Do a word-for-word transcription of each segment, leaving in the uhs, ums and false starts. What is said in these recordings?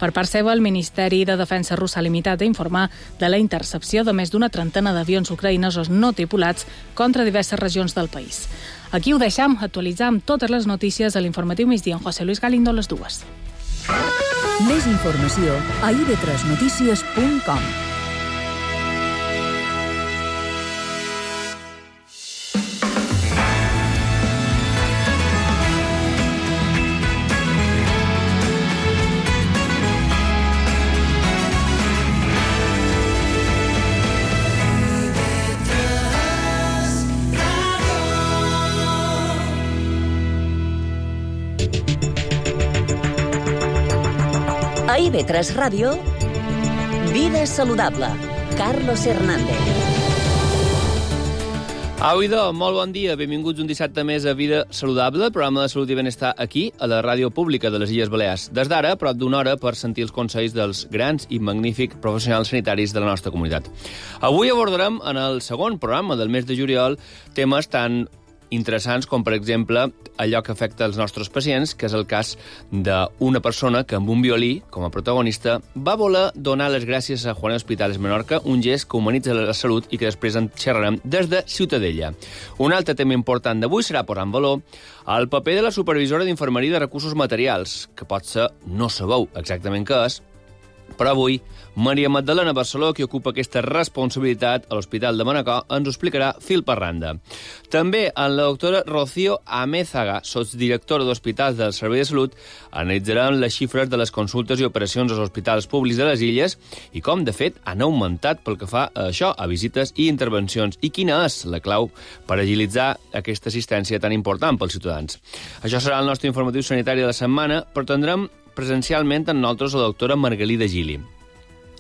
Per part seva, el Ministeri de Defensa rus s'ha limitat a informar de la intercepció de més d'una trentena d'avions ucraïnesos no tripulats contra diverses regions del país. Aquí ho deixam, actualitzar amb totes les notícies a l'informatiu migdia amb José Luis Galindo a les dues. Més informació a i be tres notícies punt com. A i be tres Ràdio, Vida Saludable, Carlos Hernández. Au, idò, molt bon dia. Benvinguts un dissabte més a Vida Saludable, el programa de salut i benestar aquí, a la ràdio pública de les Illes Balears. Des d'ara, prop d'una hora per sentir els consells dels grans i magnífics professionals sanitaris de la nostra comunitat. Avui abordarem, en el segon programa del mes de juliol, temes tan interessants com, per exemple, allò que afecta els nostres pacients, que és el cas d'una persona que amb un violí, com a protagonista, va voler donar les gràcies a Juan Hospitales Menorca, un gest que humanitza la salut i que després en xerrarem des de Ciutadella. Un altre tema important d'avui serà posar en valor el paper de la supervisora d'infermeria de recursos materials, que potser no sabeu exactament què és, però avui Maria Magdalena Barceló, que ocupa aquesta responsabilitat a l'Hospital de Manacor, ens ho explicarà fil per randa. També en la doctora Rocío Amézaga, sotsdirectora d'Hospitals del Servei de Salut, analitzaran les xifres de les consultes i operacions als hospitals públics de les illes i com, de fet, han augmentat pel que fa a això, a visites i intervencions, i quina és la clau per agilitzar aquesta assistència tan important pels ciutadans. Això serà el nostre informatiu sanitari de la setmana, però tindrem presencialment amb nosaltres la doctora Margalida Gili.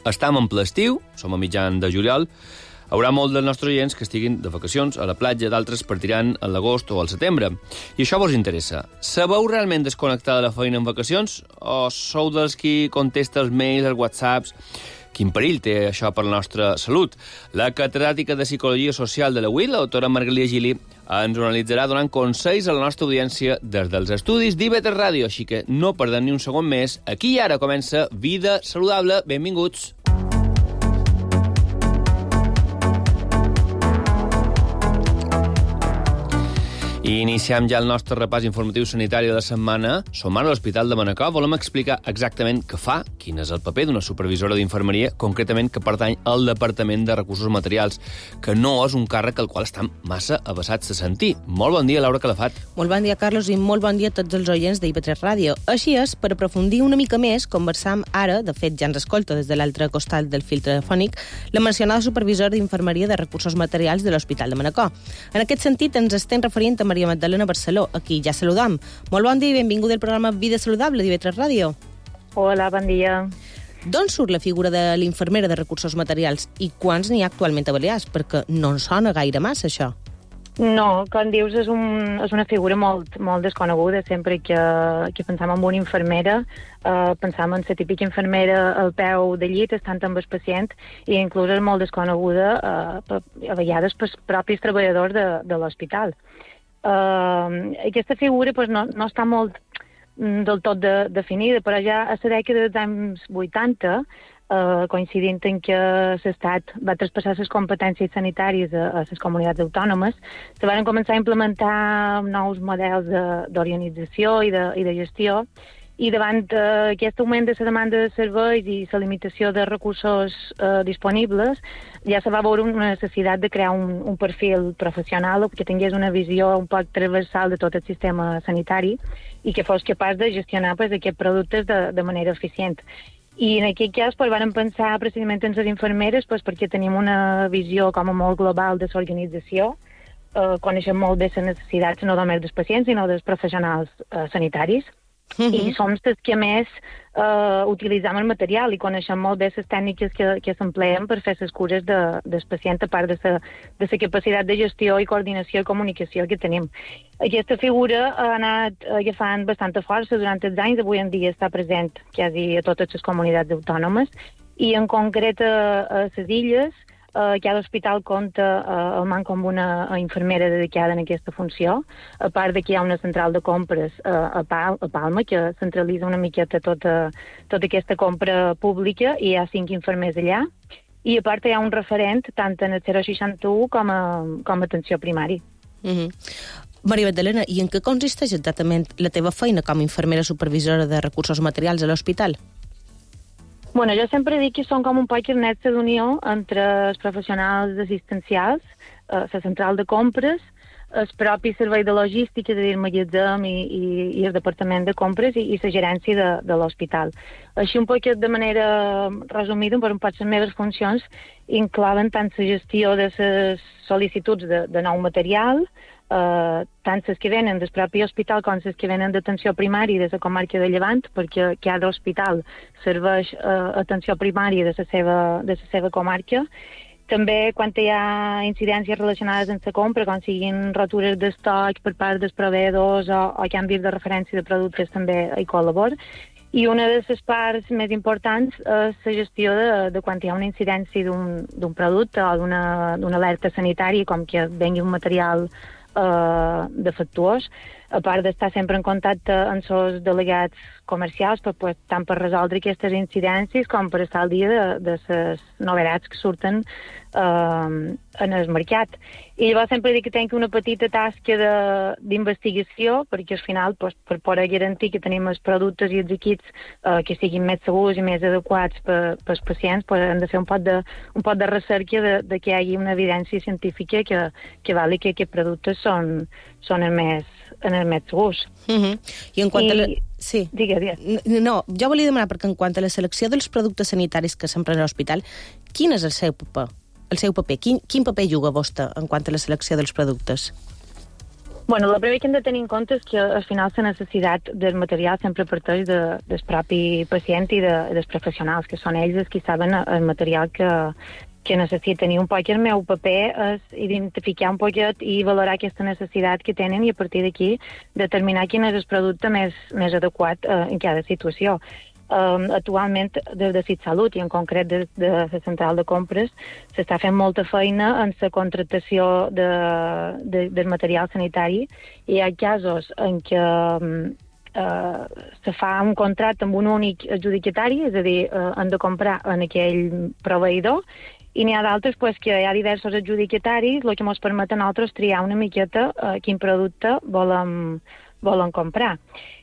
Estam en ple estiu, som a mitjan de juliol, haurà molt dels nostres oients que estiguin de vacacions a la platja, d'altres partiran a l'agost o al setembre. I això vos interessa. Sabeu realment desconnectar de la feina en vacacions? O sou dels qui contesta els mails, els whatsapps? Quin perill té això per la nostra salut? La catedràtica de Psicologia Social de la U I, la doctora Margalida Gili, ens ho analitzarà donant consells a la nostra audiència des dels estudis d'I be tres Ràdio, així que no perdem ni un segon més. Aquí i ara comença Vida Saludable. Benvinguts. I iniciem ja el nostre repàs informatiu sanitari de la setmana. Som ara a l'Hospital de Manacor. Volem explicar exactament què fa, quin és el paper d'una supervisora d'infermeria, concretament que pertany al Departament de Recursos Materials, que no és un càrrec al qual estan massa avasats a sentir. Molt bon dia, Laura Calafat. Molt bon dia, Carlos, i molt bon dia a tots els oients d'I be tres Ràdio. Així és, per aprofundir una mica més, conversam ara, de fet ja ens escolta des de l'altre costat del fil telefònic, la mencionada supervisora d'infermeria de Recursos Materials de l'Hospital de Manacor. En aquest sentit, ens estem referint a Maria Magdalena Barceló, aquí ja saludam. Molt bon dia i benvingut al programa Vida Saludable d'I be tres Ràdio. Hola, bon dia. D'on surt la figura de l'infermera de recursos materials i quants n'hi ha actualment a Balears? Perquè no en sona gaire massa, això. No, com dius, és, un, és una figura molt, molt desconeguda. Sempre que, que pensam en una infermera, eh, pensam en la típica infermera al peu de llit, estant amb el pacient, i inclús és molt desconeguda eh, a vegades pels propis treballadors de, de l'hospital. Uh, aquesta figura pues, no, no està molt mm, del tot de, definida, però ja a la dècada dels anys vuitanta, uh, coincidint en que l'Estat va traspassar les competències sanitàries a, a les comunitats autònomes, se van començar a implementar nous models d'organització i, de, i de gestió, i davant uh, aquest augment de la demanda de serveis i la limitació de recursos uh, disponibles, ja se va veure una necessitat de crear un, un perfil professional que tingués una visió un poc transversal de tot el sistema sanitari i que fos capaç de gestionar pues, aquests productes de, de manera eficient. I en aquest cas pues, van pensar precisament en les infermeres pues, perquè tenim una visió com a molt global de l'organització, uh, coneixem molt bé les necessitats no només dels pacients sinó dels professionals uh, sanitaris. Uh-huh. I som els que més eh, utilitzem el material i coneixem molt bé les tècniques que, que s'empleen per fer les cures de, del pacient, a part de la de la capacitat de gestió i coordinació i comunicació que tenim. Aquesta figura ha anat agafant bastanta força durant els anys, avui en dia està present quasi a totes les comunitats autònomes i en concret a, a les illes Uh, cada hospital compta uh, el manco amb una infermera dedicada en aquesta funció, a part de que hi ha una central de compres uh, a, Pal a Palma, que centralitza una miqueta tota, tota aquesta compra pública, i hi ha cinc infermers allà. I a part hi ha un referent tant en el zero seixanta-u com a, com a atenció primària. Mm-hmm. Maria Magdalena, i en què consisteix exactament la teva feina com a infermera supervisora de recursos materials a l'hospital? Bueno, jo sempre dic que són com un poc el nexe d'unió entre els professionals assistencials, eh, la central de compres, el propi servei de logística, és a dir, el magatzem i, i, i el departament de compres i, i la gerència de, de l'hospital. Així un poc de manera resumida, per un poc les meves funcions inclouen tant la gestió de les sol·licituds de, de nou material, Uh, tant les que venen del propi hospital com les que venen d'atenció primària de la comarca de Llevant, perquè cada hospital serveix uh, atenció primària de la seva, de la seva comarca. També quan hi ha incidències relacionades amb la compra, com siguin rotures d'estoc per part dels proveïdors o, o canvis de referència de productes, també hi col·labor. I una de les parts més importants és la gestió de, de quan hi ha una incidència d'un producte o d'una alerta sanitària, com que vengui un material Uh, defectuós, a part d'estar sempre en contacte amb els delegats comercials, per, pues, tant per resoldre aquestes incidències com per estar al dia de, de les novetats que surten uh, en el mercat. I llavors sempre dic que tenc una petita tasca d'investigació, perquè al final, pues, per poder garantir que tenim els productes i els equips uh, que siguin més segurs i més adequats per, pels pacients, pues, hem de fer un pot de, un pot de recerca de, de que hi hagi una evidència científica que, que vali que aquests productes són, són els més, en els més segurs. Uh-huh. I en quant I... a la... Sí. Digue, digue. No, jo volia demanar, perquè en quant a la selecció dels productes sanitaris que s'empren a l'hospital, quin és el seu paper? El seu paper? Quin, quin paper juga vostè en quant a la selecció dels productes? Bueno, el primer que hem de tenir en compte és que al final la necessitat del material sempre parteix de, del propi pacient i de, dels professionals, que són ells els que saben el material que, que necessiten. I un poc el meu paper és identificar un poquet i valorar aquesta necessitat que tenen i a partir d'aquí determinar quin és el producte més, més adequat eh, en cada situació. Um, actualment, des de CitSalut i en concret des de la central de compres, s'està fent molta feina en la contractació de, de, del material sanitari. Hi ha casos en què um, uh, se fa un contracte amb un únic adjudicatari, és a dir, uh, han de comprar en aquell proveïdor, i n'hi ha d'altres pues, que hi ha diversos adjudicataris, el que ens permet a nosaltres triar una miqueta uh, quin producte volen, volen comprar.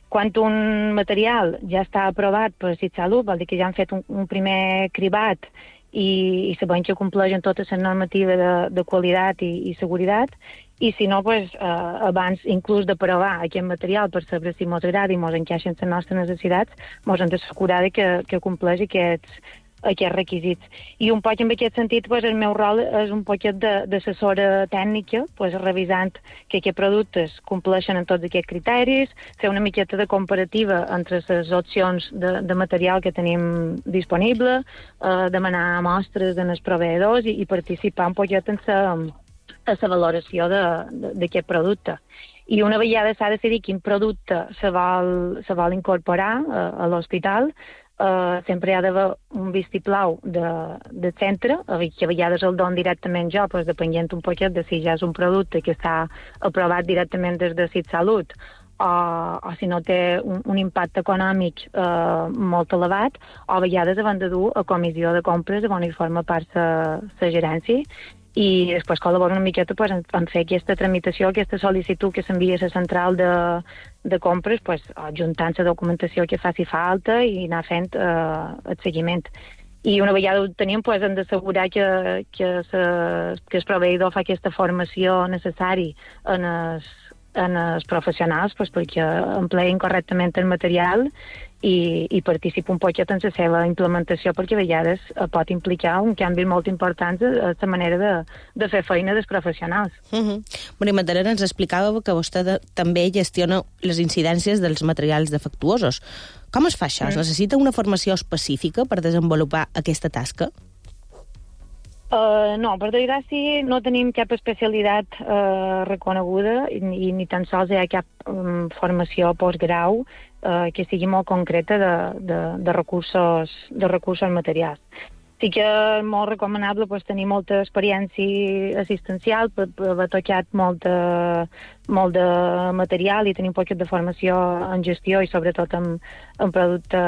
Quan un material ja està aprovat per CitSalut, vol dir que ja han fet un, un primer cribat i, i sabem que compleixen totes les normatives de, de qualitat i, i seguretat, i si no, pues, eh, abans inclús de provar aquest material per saber si ens agrada i ens encaixa en les nostres necessitats, ens hem d'assegurar que, que compleix aquests, aquests requisits. I un poc en aquest sentit, pues, el meu rol és un poquet d'assessora tècnica, pues, revisant que aquests productes compleixen en tots aquests criteris, fer una miqueta de comparativa entre les opcions de, de material que tenim disponible, eh, demanar mostres en els proveïdors i, i participar un poquet en la a la valoració d'aquest producte. I una vegada s'ha de decidir quin producte se vol, se vol incorporar a, a l'hospital, Uh, sempre hi ha d'haver un vistiplau de, de centre, que a vegades el don directament jo, pues, depenent un poquet de si ja és un producte que està aprovat directament des de CitSalut o, o si no té un, un impacte econòmic uh, molt elevat, o a vegades havent de dur a comissió de compres on hi forma part la gerència, i després col·labora una miqueta pues, en, en fer aquesta tramitació, aquesta sol·licitud que s'envia a la central de, de compres, pues, juntant la documentació que faci falta i anar fent eh, el seguiment. I una vegada ho tenim, pues, hem d'assegurar que, que, se, que el proveïdor fa aquesta formació necessària en els, en els professionals, pues, perquè empleïn correctament el material i, i participa un poquet en la seva implementació, perquè a vegades pot implicar un canvi molt important a la manera de, de fer feina dels professionals. Uh-huh. Maria Magdalena, ens explicava que vostè de, també gestiona les incidències dels materials defectuosos. Com es fa això? Es necessita una formació específica per desenvolupar aquesta tasca? Uh, no, per desgràcia no tenim cap especialitat uh, reconeguda i, i ni tan sols hi ha cap um, formació postgrau uh, que sigui molt concreta de, de, de, recursos, de recursos materials. Sí que és molt recomanable pues, tenir molta experiència assistencial per, per haver tocat molt de, molt de material i tenir un poquet de formació en gestió i sobretot en, en producte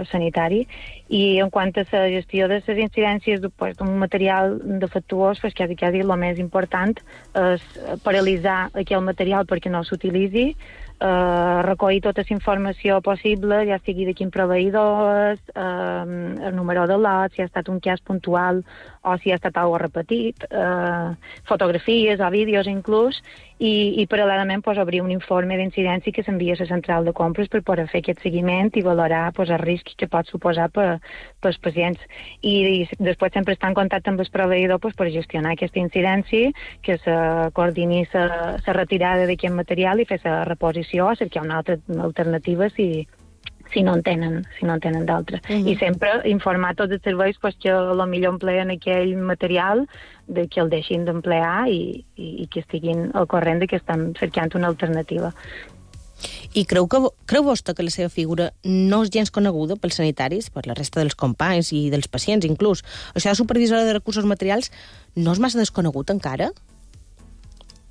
sanitari. I en quant a la gestió de les incidències pues, d'un material defectuós, pues, quasi, quasi el més important és paralitzar aquell material perquè no s'utilitzi, Uh, recollir tota la informació possible, ja sigui de quin proveïdor és, uh, el número de lot, si ha estat un cas puntual o si ha estat alguna repetit, uh, fotografies o vídeos inclús, i, i paral·lelament pues, obrir un informe d'incidència que s'envia a la central de compres per poder fer aquest seguiment i valorar pues, el risc que pot suposar per, per als pacients. I, i després sempre estar en contacte amb el proveïdor pues, per gestionar aquesta incidència, que se coordini la retirada d'aquest material i fer la reposició o cercar una altra alternativa si, si no en tenen, si no en tenen d'altra. Uh-huh. I sempre informar tots els serveis pues, que potser empleen aquell material, de que el deixin d'emplear i, i, i que estiguin al corrent de que estan cercant una alternativa. I creu, que, creu vostè que la seva figura no és gens coneguda pels sanitaris, per la resta dels companys i dels pacients inclús? Això de supervisora de recursos materials no és massa desconegut encara?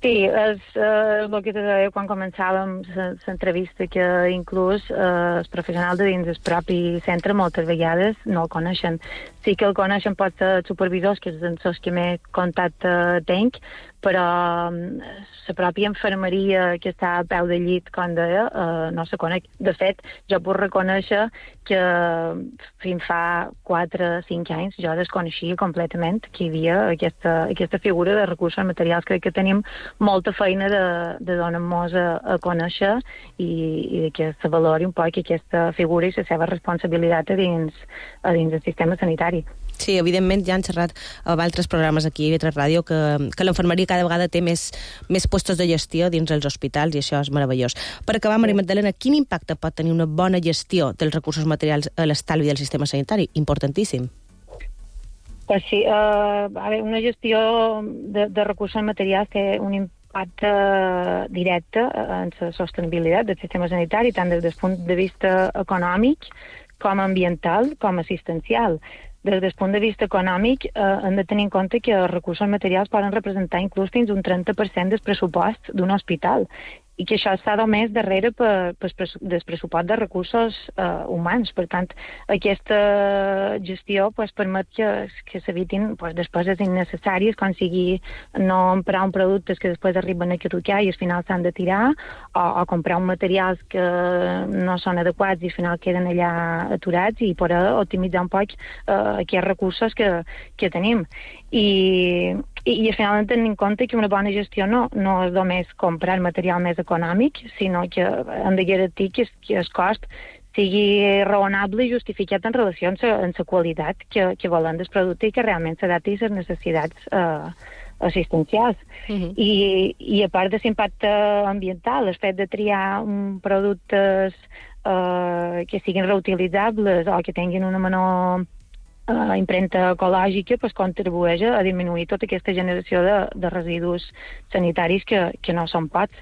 Sí, és eh, el que te deia quan començàvem l'entrevista, que inclús eh, els professionals de dins del propi centre moltes vegades no el coneixen. Sí que el coneixen pot ser supervisors, que és els que més contacte tenc, però la pròpia infermeria que està a peu de llit, com deia, eh, no se coneix. De fet, jo puc reconèixer que fins fa quatre o cinc anys jo desconeixia completament que hi havia aquesta, aquesta figura de recursos materials. Crec que tenim molta feina de, de donar-nos a, a conèixer i, i que se valori un poc aquesta figura i la seva responsabilitat a dins, a dins del sistema sanitari. Sí, evidentment ja han xerrat amb altres programes aquí a I V tres Ràdio que, que l'infermeria cada vegada té més, més puestos de gestió dins els hospitals i això és meravellós. Per acabar, Maria Magdalena, quin impacte pot tenir una bona gestió dels recursos materials a l'estalvi del sistema sanitari? Importantíssim. Pues sí, uh, a veure, una gestió de, de recursos materials té un impacte directe en la sostenibilitat del sistema sanitari, tant des del punt de vista econòmic com ambiental, com assistencial. Des del punt de vista econòmic, eh, hem de tenir en compte que els recursos materials poden representar inclús fins un trenta per cent del pressupost d'un hospital i que això està només darrere per, per, per del pressupost de recursos eh, humans. Per tant, aquesta gestió pues, permet que, que s'evitin pues, despeses innecessàries, com sigui no emprar un productes que després arriben a caducar i al final s'han de tirar, o, o comprar un materials que no són adequats i al final queden allà aturats, i poder optimitzar un poc eh, aquests recursos que, que tenim. I, i, i al final hem de tenir en compte que una bona gestió no, no és només comprar material més econòmic, sinó que hem de garantir que, que el cost sigui raonable i justificat en relació amb la qualitat que, que volen del producte i que realment s'adapti a les necessitats eh, assistencials. Uh-huh. I, I a part de l'impacte ambiental, el fet de triar um, productes eh, que siguin reutilitzables o que tinguin una menor Uh, impremta ecològica pues, contribueix a disminuir tota aquesta generació de, de residus sanitaris que, que no són pocs.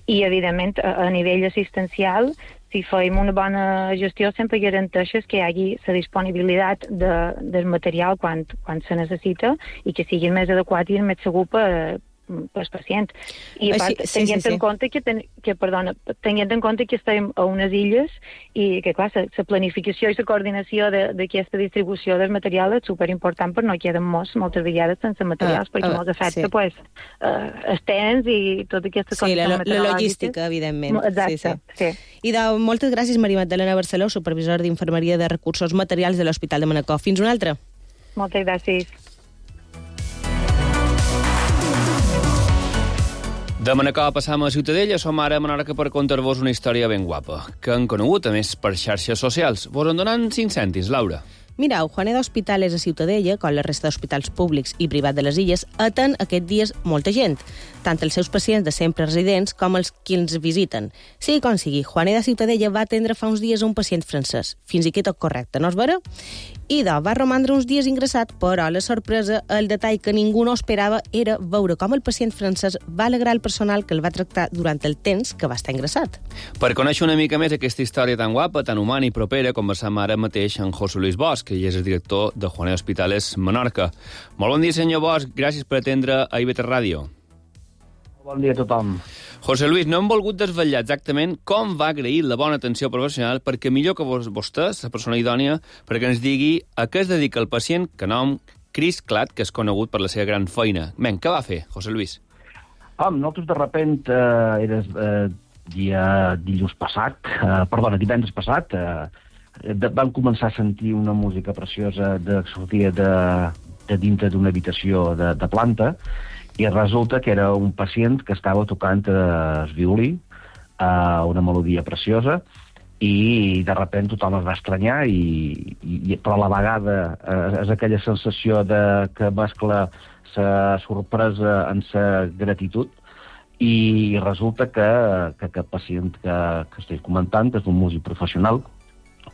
I, evidentment, a, a nivell assistencial, si fem una bona gestió, sempre garanteixes que hi hagi la disponibilitat de, del material quan, quan se necessita i que sigui el més adequat i el més segur per, pels pacients. I a part, sí, tenint sí, sí. en compte que, ten, que perdona, tenint en compte que estem a unes illes i que, clar, la planificació i la coordinació d'aquesta distribució del material és superimportant, per no quedar molts, moltes vegades sense materials, ah, perquè ah, molts afecta, sí. pues, uh, els temps i tota aquesta sí, la, la logística, evidentment. Exacte, sí, sí. sí. I de, moltes gràcies, Maria Magdalena Barceló, supervisor d'Infermeria de Recursos Materials de l'Hospital de Manacor. Fins una altra. Moltes gràcies. De Manacor passam a Ciutadella, som ara a Menorca per contar-vos una història ben guapa, que han conegut, a més, per xarxes socials. Vos en donen cinc cèntims, Laura. Mireu, Juaneda Hospitales a Ciutadella, com la resta d'hospitals públics i privats de les illes, atén aquests dies molta gent, tant els seus pacients de sempre residents com els qui ens visiten. Sigui com sigui, Juaneda Ciutadella va atendre fa uns dies un pacient francès. Fins aquí tot correcte, no és vera? I de, va romandre uns dies ingressat, però la sorpresa, el detall que ningú no esperava era veure com el pacient francès va alegrar el personal que el va tractar durant el temps que va estar ingressat. Per conèixer una mica més aquesta història tan guapa, tan humana i propera, conversam ara mateix amb José Luis Bosch. que ell és el director de Juanet Hospitales Menorca. Molt bon dia, senyor Bosch. Gràcies per atendre a I V tres Ràdio. Bon dia a tothom. José Luis, no hem volgut desvetllar exactament com va agrair la bona atenció professional perquè millor que vos, vostè, la persona idònia, perquè ens digui a què es dedica el pacient que nom Chris Cladd, que és conegut per la seva gran feina. Ben, què va fer, José Luis? Ah, nosaltres de repent, eh, era eh, dia dilluns passat, eh, perdona, divendres passat, eh, de, vam començar a sentir una música preciosa de, que sortia de, de dintre d'una habitació de, de planta, i resulta que era un pacient que estava tocant el violí, eh, una melodia preciosa, i de repent tothom es va estranyar, i, i, però a la vegada eh, és aquella sensació de que mescla la sorpresa en la gratitud, i resulta que, que aquest pacient que, que estic comentant és un músic professional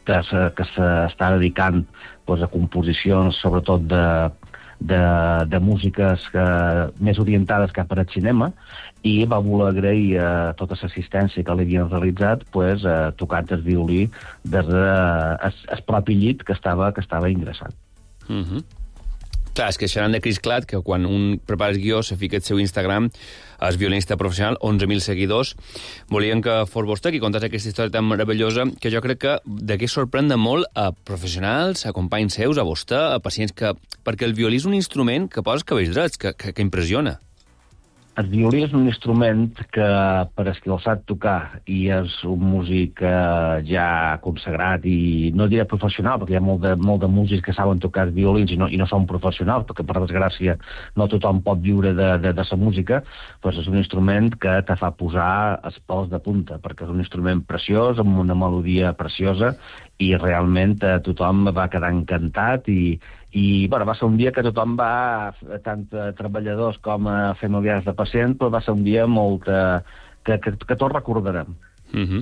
que, se, que s'està dedicant pues, a composicions sobretot de De, de músiques que, més orientades cap al cinema, i va voler agrair eh, tota l'assistència que li havien realitzat pues, eh, tocant el violí des del de, propi llit que estava, que estava ingressat. Mm-hmm. Clar, és que xerrant de Chris Cladd, que quan un prepara el guió se fica el seu Instagram, és violinista professional, onze mil seguidors, volien que fos vostè qui contés aquesta història tan meravellosa que jo crec que d'aquí sorprèn de molt a professionals, a companys seus, a vostè, a pacients que... Perquè el violí és un instrument que posa els cabells drets, que, que, que impressiona. El violí és un instrument que, per als qui el sap tocar, i és un músic eh, ja consagrat, i no diré professional, perquè hi ha molt de, molt de músics que saben tocar violins i no, i no són professionals, perquè per desgràcia no tothom pot viure de, de, de la música, doncs és un instrument que te fa posar els pèls de punta, perquè és un instrument preciós, amb una melodia preciosa, i realment eh, tothom va quedar encantat, i I bueno, va ser un dia que tothom va, tant a treballadors com a familiars de pacients, però va ser un dia molt... Eh, que, que, que tots recordarem. Mm-hmm.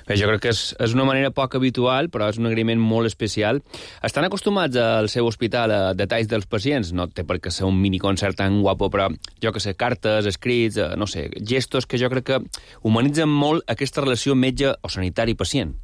Bé, jo crec que és, és una manera poc habitual, però és un agraïment molt especial. Estan acostumats al seu hospital a detalls dels pacients? No té per què ser un miniconcert tan guapo, però jo que sé, cartes, escrits, no sé, gestos que jo crec que humanitzen molt aquesta relació metge o sanitari-pacient.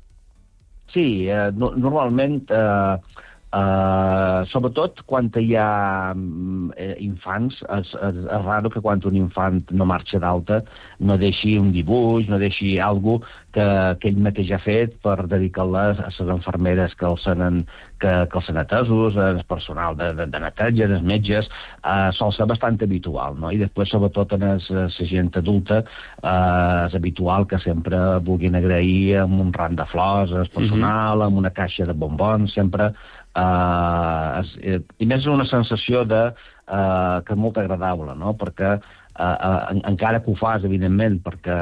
Sí, eh, no, normalment... Eh, Uh, sobretot quan hi ha eh, infants, és, és, és raro que quan un infant no marxa d'alta no deixi un dibuix, no deixi alguna cosa que, que ell mateix ha fet per dedicar-les a les infermeres que els han, que, que els han atesos, al personal de, de, de neteja, dels metges, uh, sol ser bastant habitual, no? I després, sobretot en la gent adulta, uh, és habitual que sempre vulguin agrair amb un ram de flors al personal, mm-hmm. amb una caixa de bombons, sempre... Uh, es, eh, i més és una sensació de, uh, que és molt agradable, no? Perquè uh, uh, en, encara que ho fas, evidentment, perquè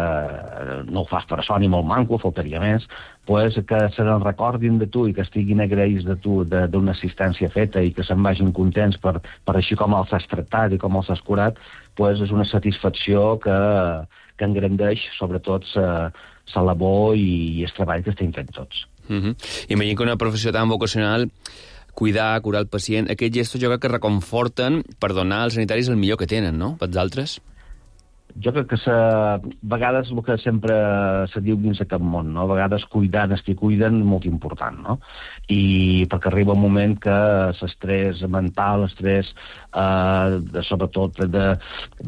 no ho fas per això ni molt manco, faltaria més, pues, que se n'en recordin de tu i que estiguin agraïts de tu d'una assistència feta i que se'n vagin contents per, per així com els has tractat i com els has curat, pues, és una satisfacció que, que engrandeix sobretot la labor i, i el treball que estem fent tots. Mm-hmm. Imagino que una professió tan vocacional, cuidar, curar el pacient, aquests gestos jo crec que reconforten per donar als sanitaris el millor que tenen, no?, pels altres? Jo crec que a vegades el que sempre se diu dins aquest món, no? A vegades cuidar els que cuiden és molt important, no? I perquè arriba un moment que l'estrès mental, l'estrès, eh, de, sobretot de, de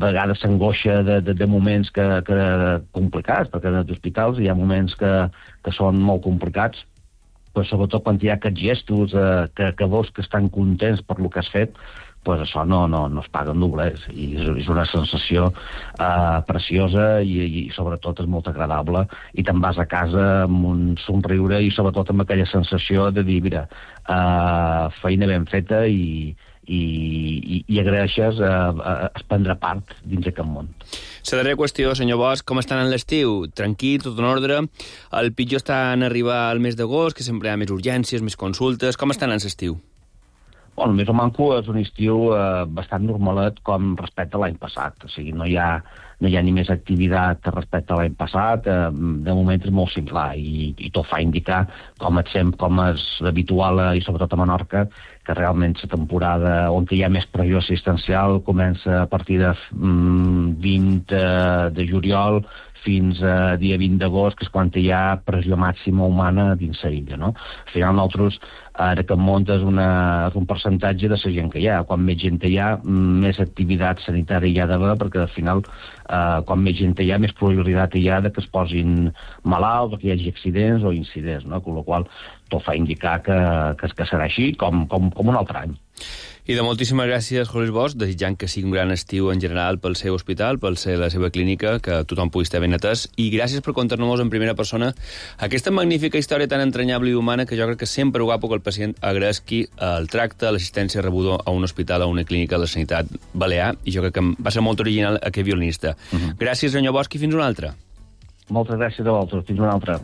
vegades s'angoixa de, de, de moments que, que complicats, perquè en els hospitals hi ha moments que, que són molt complicats, però sobretot quan hi ha aquests gestos eh, que, que veus que estan contents per lo que has fet, pues això no, no, no es paga en doblers, i és, és una sensació uh, preciosa i, i sobretot és molt agradable, i te'n vas a casa amb un somriure i sobretot amb aquella sensació de dir, mira, uh, feina ben feta i, i, i, i agraeixes uh, uh, prendre part dins aquest món. La darrera qüestió, senyor Bosch, com estan en l'estiu? Tranquil, tot en ordre? El pitjor està en arribar al mes d'agost, que sempre hi ha més urgències, més consultes. Com estan en l'estiu? Bueno, el més o manco és un estiu eh, bastant normalet com respecte a l'any passat. O sigui, no hi ha, no hi ha ni més activitat respecte a l'any passat. Eh, de moment és molt similar i, i tot fa indicar, com és, sempre, com és habitual, i sobretot a Menorca, que realment la temporada on hi ha més pressió assistencial comença a partir de mm, vint de juliol fins a dia vint d'agost, que és quan hi ha pressió màxima humana dins la illa, no? Al final nosaltres, ara que muntes una, un percentatge de la gent que hi ha. Quan més gent hi ha, més activitat sanitària hi ha d'haver, perquè al final, eh, quan més gent hi ha, més probabilitat hi ha de que es posin malalts o que hi hagi accidents o incidents, no? Amb la qual tot fa indicar que, que, que serà així com, com, com un altre any. I de moltíssimes gràcies, Jorge Bosch, desitjant que sigui un gran estiu en general pel seu hospital, pel ser la seva clínica, que tothom pugui estar ben atès, i gràcies per contar-nos en primera persona aquesta magnífica història tan entranyable i humana que jo crec que sempre ho guapo que el pacient agraeixi el tracte, l'assistència rebuda a un hospital, a una clínica de la sanitat balear, i jo crec que va ser molt original aquest violinista. Uh-huh. Gràcies, senyor Bosch, i fins una altra. Moltes gràcies a vosaltres, fins una altra.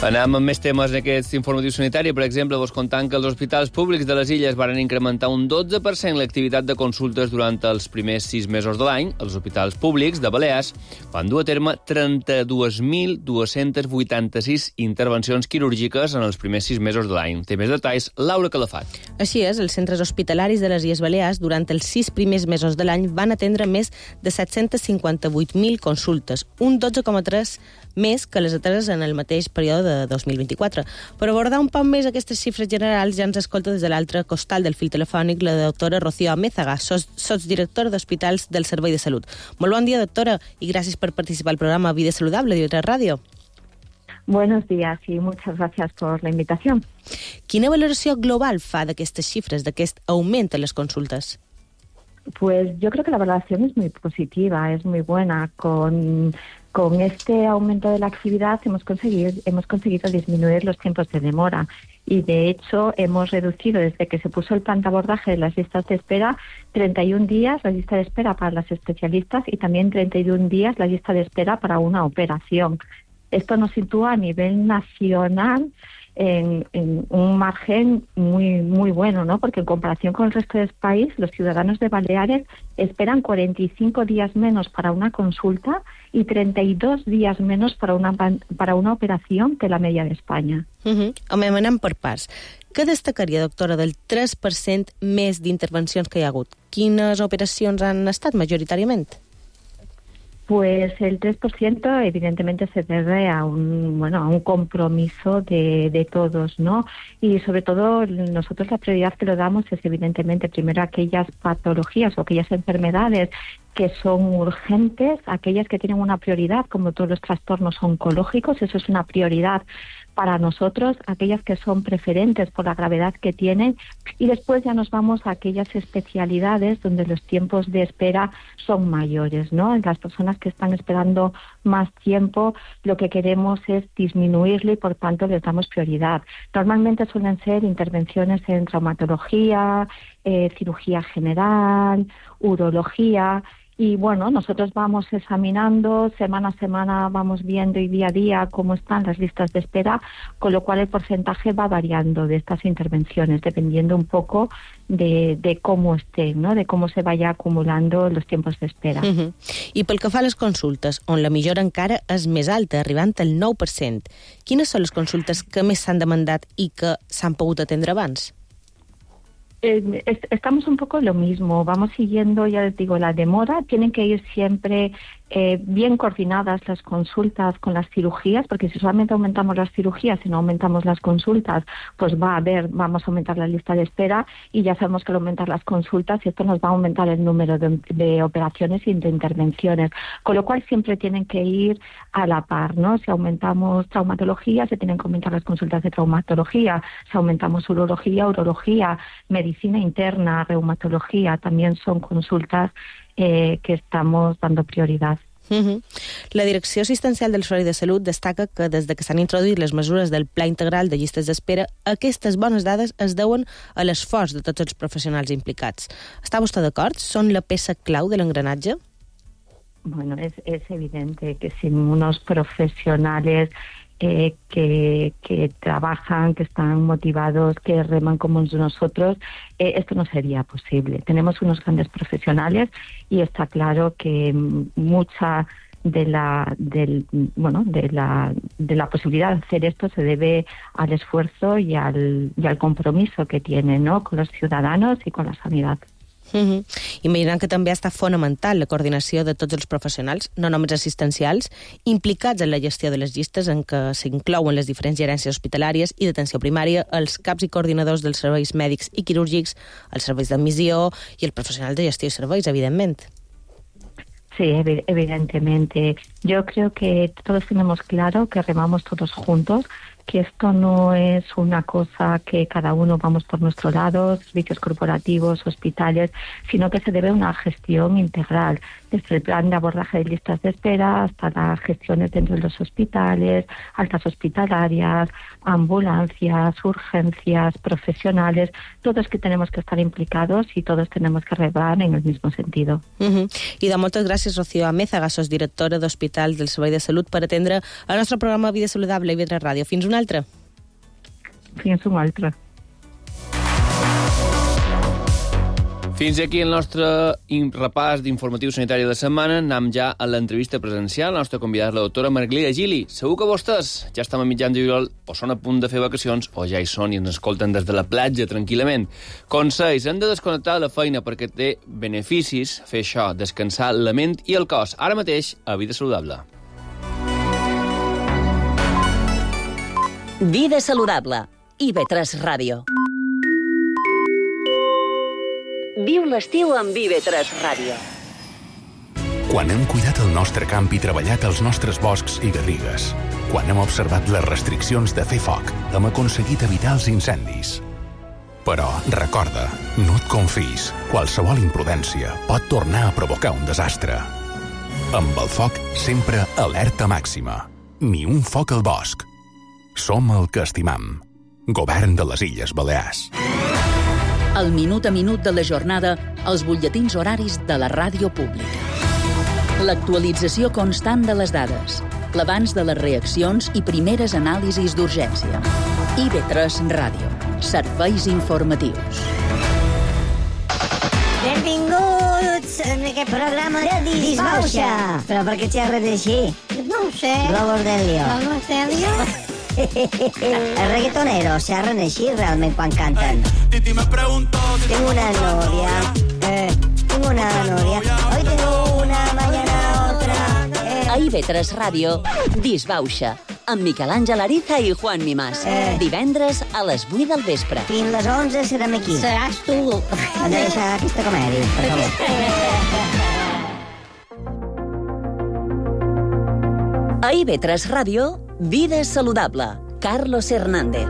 Anem amb més temes en aquest informatiu sanitari. Per exemple, vos contant que els hospitals públics de les illes van incrementar un dotze per cent l'activitat de consultes durant els primers sis mesos de l'any. Els hospitals públics de Balears van dur a terme trenta-dues mil dos-cents vuitanta-sis intervencions quirúrgiques en els primers sis mesos de l'any. Té més detalls Laura Calafat. Així és, els centres hospitalaris de les Illes Balears durant els sis primers mesos de l'any van atendre més de set-cents cinquanta-vuit mil consultes, un dotze coma tres més que les ateses en el mateix període de dos mil vint-i-quatre. Per abordar un poc més aquestes xifres generals, ja ens escolta des de l'altre costal del fil telefònic la doctora Rocío Amézaga, sotsdirectora d'Hospitals del Servei de Salut. Molt bon dia, doctora, i gràcies per participar al programa Vida Saludable de I V tres Radio. Buenos días y muchas gracias por la invitación. Quina valoració global fa d'aquestes xifres, d'aquest augment en les consultes? Pues yo creo que la valoración es muy positiva, es muy buena. Con, con este aumento de la actividad hemos conseguido, hemos conseguido disminuir los tiempos de demora y, de hecho, hemos reducido desde que se puso el plan de abordaje de las listas de espera treinta y un días la lista de espera para las especialistas y también treinta y un días la lista de espera para una operación. Esto nos sitúa a nivel nacional En, en un margen muy muy bueno, ¿no? Porque en comparación con el resto del país, los ciudadanos de Baleares esperan cuarenta y cinco días menos para una consulta y treinta y dos días menos para una, para una operación que la media de España. Uh-huh. Home, anem per parts. Què destacaria, doctora, del tres per cent més d'intervencions que hi ha hagut? Quines operacions han estat majoritàriament? Pues el tres por ciento evidentemente se debe a un, bueno, a un compromiso de, de todos, ¿no? Y sobre todo nosotros la prioridad que le damos es evidentemente primero aquellas patologías o aquellas enfermedades que son urgentes, aquellas que tienen una prioridad, como todos los trastornos oncológicos, eso es una prioridad para nosotros, aquellas que son preferentes por la gravedad que tienen, y después ya nos vamos a aquellas especialidades donde los tiempos de espera son mayores, ¿no? Las personas que están esperando más tiempo, lo que queremos es disminuirlo y por tanto les damos prioridad. Normalmente suelen ser intervenciones en traumatología, eh, cirugía general, urología. Y bueno, nosotros vamos examinando, semana a semana vamos viendo y día a día cómo están las listas de espera, con lo cual el porcentaje va variando de estas intervenciones, dependiendo un poco de, de cómo estén, ¿no? De cómo se vaya acumulando los tiempos de espera. Uh-huh. I pel que fa a les consultes, on la millora encara és més alta, arribant al nou per cent, quines són les consultes que més s'han demandat i que s'han pogut atendre abans? Eh, estamos un poco lo mismo, vamos siguiendo, ya les digo, la demora, tienen que ir siempre eh, bien coordinadas las consultas con las cirugías, porque si solamente aumentamos las cirugías y no aumentamos las consultas, pues va a haber, vamos a aumentar la lista de espera y ya sabemos que al aumentar las consultas esto nos va a aumentar el número de, de operaciones y de intervenciones, con lo cual siempre tienen que ir a la par, ¿no? Si aumentamos traumatología, se tienen que aumentar las consultas de traumatología, si aumentamos urología, urología, medicina interna, reumatología, también son consultas eh, que estamos dando prioridad. Uh-huh. La Direcció Assistencial del Servei de Salut destaca que des de que s'han introduït les mesures del Pla Integral de Llistes d'Espera, aquestes bones dades es deuen a l'esforç de tots els professionals implicats. Està vostè d'acord? Són la peça clau de l'engranatge? Bueno, es, es evidente que sin unos profesionales Eh, que, que trabajan, que están motivados, que reman como nosotros, eh, esto no sería posible. Tenemos unos grandes profesionales y está claro que mucha de la del, bueno de la de la posibilidad de hacer esto se debe al esfuerzo y al, y al compromiso que tienen, ¿no?, con los ciudadanos y con la sanidad. Mm-hmm. Imaginant que també està fonamental la coordinació de tots els professionals, no només assistencials, implicats en la gestió de les llistes en què s'inclouen les diferents gerències hospitalàries i d'atenció primària, els caps i coordinadors dels serveis mèdics i quirúrgics, els serveis d'admissió i els professionals de gestió i serveis, evidentment. Sí, evidentemente. Yo creo que todos tenemos claro que remamos todos juntos, que esto no es una cosa que cada uno vamos por nuestro lado, servicios corporativos, hospitales, sino que se debe a una gestión integral, desde el plan de abordaje de listas de espera hasta las gestiones dentro de los hospitales, altas hospitalarias, ambulancias, urgencias, profesionales, todos que tenemos que estar implicados y todos tenemos que remar en el mismo sentido. Uh-huh. I de moltes gràcies, Rocío Amézaga, sosdirectora d'Hospitals del Servei de Salut, per atendre el nostre programa Vida Saludable i I V tres Ràdio. Fins una altra. Fins una altra. Fins aquí el nostre repàs d'informatiu sanitari de la setmana. Anem ja a l'entrevista presencial. La nostra convidada és la doctora Margalida Gili. Segur que vostès ja estan a mitjans de juliol o són a punt de fer vacacions o ja hi són i ens escolten des de la platja tranquil·lament. Consells, hem de desconnectar la feina perquè té beneficis fer això, descansar la ment i el cos. Ara mateix, a Vida Saludable. Vida Saludable. I V tres Ràdio. Viu l'estiu amb I V tres Ràdio. Quan hem cuidat el nostre camp i treballat els nostres boscs i garrigues, quan hem observat les restriccions de fer foc, hem aconseguit evitar els incendis. Però, recorda, no et confis. Qualsevol imprudència pot tornar a provocar un desastre. Amb el foc, sempre alerta màxima. Ni un foc al bosc. Som el que estimam. Govern de les Illes Balears. El minut a minut de la jornada, els butlletins horaris de la ràdio pública. L'actualització constant de les dades, l'abans de les reaccions i primeres anàlisis d'urgència. I V tres Ràdio. Serveis informatius. Benvinguts en aquest programa de Disbauxa. Però per què xerres així? No ho sé. Globos d'Helio. Globos d'Helio? Els reggaetoneros xerren així realment quan canten. Tengo una novia. Eh, tengo una novia. Hoy tengo una, mañana otra. Eh. A I V tres Ràdio, Disbauxa, amb Miquel Àngel Ariza i Juan Mimàs. Eh. Divendres a les vuit del vespre. Fins les onze serem aquí. Seràs tu. Hem de deixar aquesta comèdia, per favor. A I V tres Ràdio, Vida Saludable. Carlos Hernández.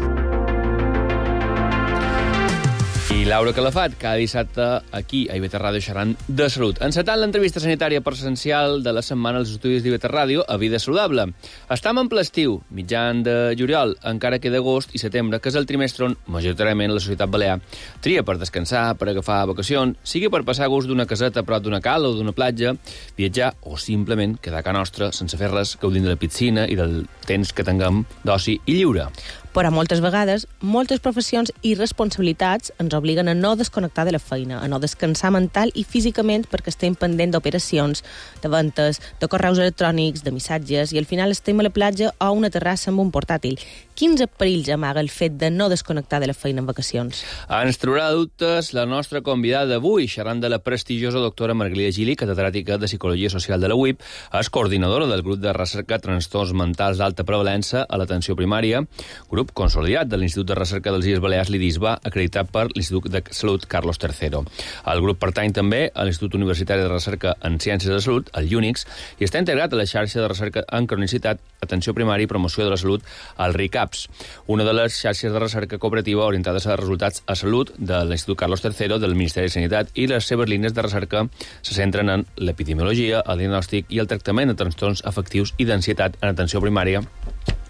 I Laura Calafat, cada dissabte aquí a I V tres Ràdio xerrant de salut. Encetant l'entrevista sanitària presencial de la setmana als estudis d'I V tres Ràdio a Vida Saludable. Estam en ple estiu, mitjan de juliol, encara que d'agost i setembre, que és el trimestre on majoritàriament la societat balear tria per descansar, per agafar vacacions, sigui per passar gust d'una caseta a prop d'una cala o d'una platja, viatjar o simplement quedar a casa nostra sense fer res, gaudint de la piscina i del temps que tinguem d'oci i lliure. Però moltes vegades, moltes professions i responsabilitats ens obliguen a no desconnectar de la feina, a no descansar mental i físicament perquè estem pendent d'operacions, de ventes, de correus electrònics, de missatges, i al final estem a la platja o a una terrassa amb un portàtil. Quins perills amaga el fet de no desconnectar de la feina en vacacions? Ens traurà dubtes la nostra convidada d'avui, xerrant de la prestigiosa doctora Margalida Gili, catedràtica de Psicologia Social de la U I P, és coordinadora del grup de recerca Trastorns Mentals d'Alta Prevalença a l'atenció primària, grup consolidat de l'Institut de Recerca dels Illes Balears, l'IDISBA, acreditat per l'Institut de Salut Carlos tercero. El grup pertany també a l'Institut Universitari de Recerca en Ciències de Salut, el UNICS, i està integrat a la xarxa de recerca en cronicitat, atenció primària i promoció de la salut, el RICAPS, una de les xarxes de recerca cooperativa orientades a resultats a salut de l'Institut Carlos tercero del Ministeri de Sanitat, i les seves línies de recerca se centren en l'epidemiologia, el diagnòstic i el tractament de trastorns afectius i d'ansietat en atenció primària,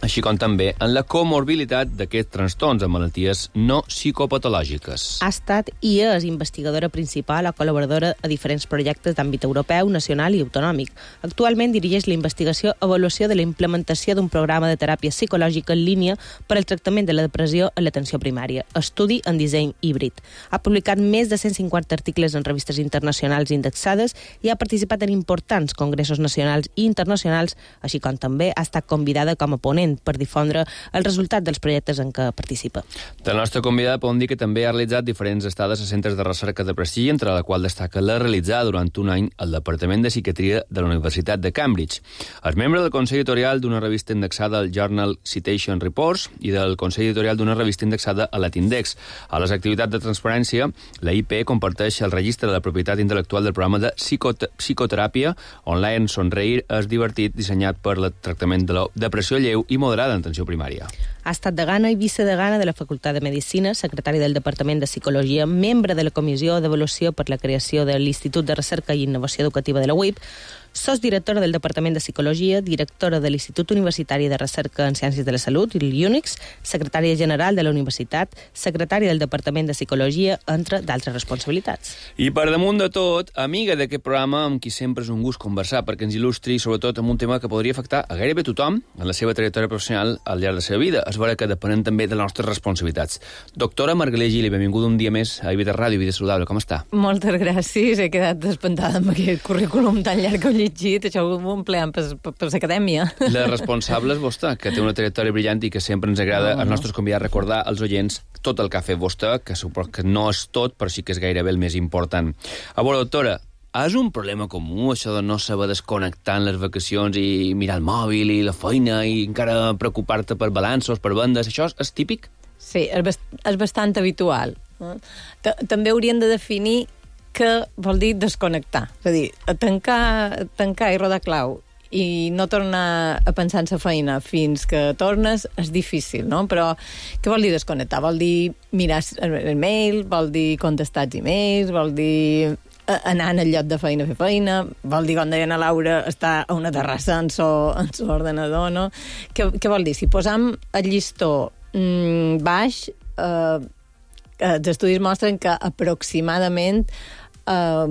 així com també en la comorbilitat d'aquests trastorns amb malalties no psicopatològiques. Ha estat i és investigadora principal o col·laboradora a diferents projectes d'àmbit europeu, nacional i autonòmic. Actualment dirigeix la investigació i avaluació de la implementació d'un programa de teràpia psicològica en línia per al tractament de la depressió en l'atenció primària, estudi en disseny híbrid. Ha publicat més de cent cinquanta articles en revistes internacionals indexades i ha participat en importants congressos nacionals i internacionals, així com també ha estat convidada com a ponent per difondre el resultat dels projectes en què participa. De la nostra convidada podem dir que també ha realitzat diferents estades a centres de recerca de prestigi, entre la qual destaca la realitzada durant un any al Departament de Psiquiatria de la Universitat de Cambridge. És membre del Consell Editorial d'una revista indexada al Journal Citation Reports i del Consell Editorial d'una revista indexada a l'Atindex. A les activitats de transparència, la I P comparteix el registre de la propietat intel·lectual del programa de psicot psicoteràpia online Sonreir és divertit, dissenyat per al tractament de la depressió lleu i moderada en atenció primària. Ha estat degana i vicedegana de la Facultat de Medicina, secretari del Departament de Psicologia, membre de la Comissió d'Avaluació per la creació de l'Institut de Recerca i Innovació Educativa de la U I P, sosdirectora del Departament de Psicologia, directora de l'Institut Universitari de Recerca en Ciències de la Salut, l'U N I C S, secretària general de la Universitat, secretària del Departament de Psicologia, entre d'altres responsabilitats. I per damunt de tot, amiga d'aquest programa amb qui sempre és un gust conversar, perquè ens il·lustri sobretot amb un tema que podria afectar a gairebé tothom en la seva trajectòria professional al llarg de la seva vida. És vera que depenent també de les nostres responsabilitats. Doctora Margalida Gili, benvinguda un dia més a I V tres Ràdio, Vida Saludable. Com està? Moltes gràcies. He quedat espantada amb aquest currículum tan llarg que he llegit. Això ho empleant per, per, per l'acadèmia. La responsable és vostè, que té una trajectòria brillant i que sempre ens agrada no, no. als nostres convidats recordar als oients tot el que ha fet vostè, que suposo que no és tot, però sí que és gairebé el més important. A veure, doctora, és un problema comú, això de no saber desconnectar en les vacacions i mirar el mòbil i la feina i encara preocupar-te per balanços, per vendes? Això és, és típic? Sí, és, bast és bastant habitual. També hauríem de definir què vol dir desconnectar. És a dir, tancar, tancar i rodar clau i no tornar a pensar en la feina fins que tornes és difícil, no? Però què vol dir desconnectar? Vol dir mirar el mail, vol dir contestar els e-mails, vol dir anar en el lloc de feina a fer feina, vol dir, com deia la Laura, estar a una terrassa en son ordenador, no? Què, què vol dir? Si posam el llistó mmm, baix, eh, els estudis mostren que aproximadament Uh,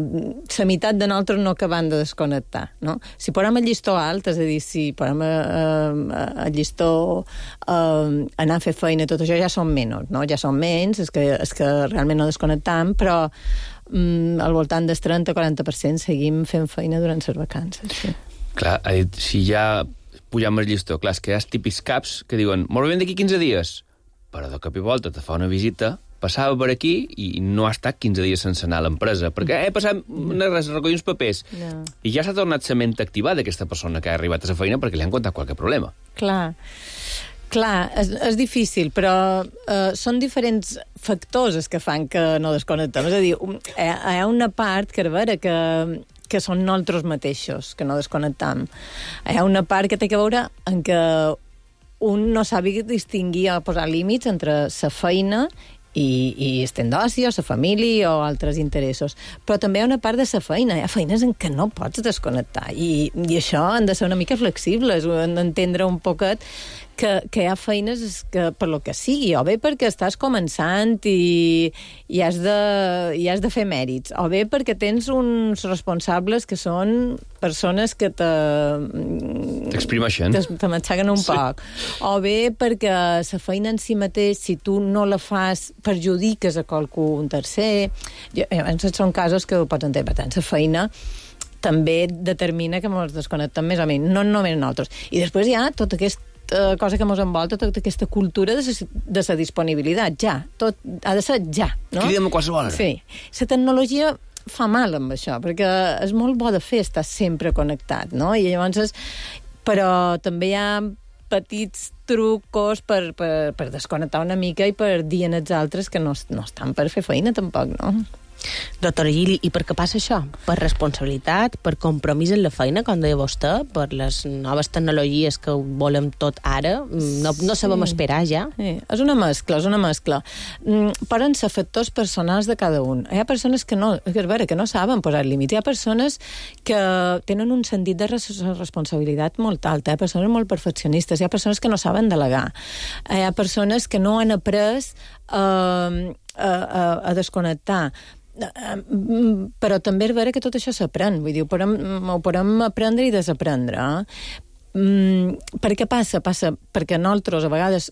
la meitat de nosaltres no acabem de desconnectar, no? Si posem el llistó alt, és a dir, si posem uh, el llistó uh, anar a fer feina, tot això ja són menys, no? Ja són menys, és que, és que realment no desconnectam, però um, al voltant del trenta a quaranta per cent seguim fent feina durant les vacances. Sí. Clar, ha dit, si ja pugem el llistó, clar, és que hi ha els típics caps que diuen, molt bé, d'aquí quinze dies, però de cop i volta te fa una visita, passava per aquí i no ha estat quinze dies sense anar a l'empresa, perquè he passat a recollir uns papers no. i ja s'ha tornat la ment activada d'aquesta persona que ha arribat a la feina perquè li han contat qualque problema. Clar, clar, és, és difícil, però uh, són diferents factors els que fan que no desconnectem. És a dir, hi ha una part que, a veure, que que són nosaltres mateixos, que no desconnectem. Hi ha una part que té que veure en què un no sàpiga distingir o posar límits entre la feina i, i el temps d'oci, o la família o altres interessos. Però també hi ha una part de la feina. Hi ha feines en què no pots desconnectar i, i això han de ser una mica flexibles, han d'entendre un poquet que, que hi ha feines que, per lo que sigui, o bé perquè estàs començant i, i, has de, i has de fer mèrits, o bé perquè tens uns responsables que són persones que te... t'exprimeixen. Te, te matxaguen un sí. poc. O bé perquè la feina en si mateix, si tu no la fas, perjudiques a qualcú, un tercer. Llavors són casos que ho pots entendre. Per tant, la feina també determina que ens desconnectem més o menys, no només nosaltres. I després hi ha tot aquest cosa que ens envolta, tota aquesta cultura de la disponibilitat, ja. Tot ha de ser ja, no? Cridem a qualsevol hora. Sí. La tecnologia fa mal amb això, perquè és molt bo de fer estar sempre connectat, no? I llavors, però també hi ha petits trucos per, per, per desconnectar una mica i per dir als altres que no, no estan per fer feina, tampoc, no? Doctora Gili, i per què passa això? Per responsabilitat, per compromís en la feina, com deia vostè, per les noves tecnologies que volem tot ara, no, no sabem sí. esperar ja? Sí. És una mescla, és una mescla. Poden ser factors personals de cada un. Hi ha persones que no, que, veure, que no saben posar límits, hi ha persones que tenen un sentit de responsabilitat molt alt, hi ha persones molt perfeccionistes, hi ha persones que no saben delegar, hi ha persones que no han après eh, a, a, a desconnectar. Però també és vera que tot això s'aprèn, vull dir, ho podem, ho podem aprendre i desaprendre. Mm, per què passa? Passa perquè nosaltres a vegades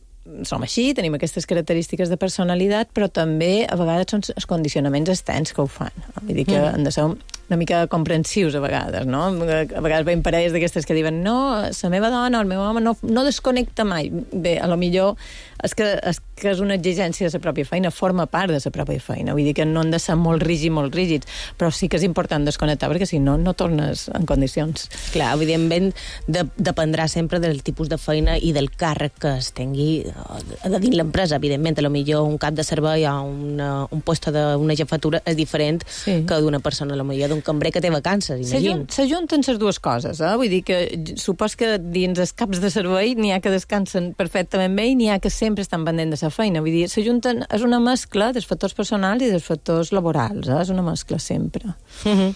som així, tenim aquestes característiques de personalitat, però també a vegades són els condicionaments externs que ho fan. Vull dir que mm. han de ser una mica comprensius a vegades, no? A vegades veiem parelles d'aquestes que diuen no, la meva dona o el meu home no, no desconnecta mai. Bé, a lo millor és que, és que és una exigència de la pròpia feina, forma part de la pròpia feina. Vull dir que no han de ser molt rígids, molt rígids, però sí que és important desconnectar, perquè si no, no tornes en condicions. Clar, evidentment, de, dependrà sempre del tipus de feina i del càrrec que es tingui de dins l'empresa. Evidentment, a lo millor un cap de servei o una, un lloc d'una jefatura és diferent sí. que d'una persona, a lo millor d'un cambrer que té vacances, imagina. S'ajunten les dues coses, eh? Vull dir que supos que dins els caps de servei n'hi ha que descansen perfectament bé i n'hi ha que sempre estan pendent de la feina. Vull dir, s'ajunten, és una mescla dels factors personals i dels factors laborals, eh? És una mescla sempre. Mm-hmm.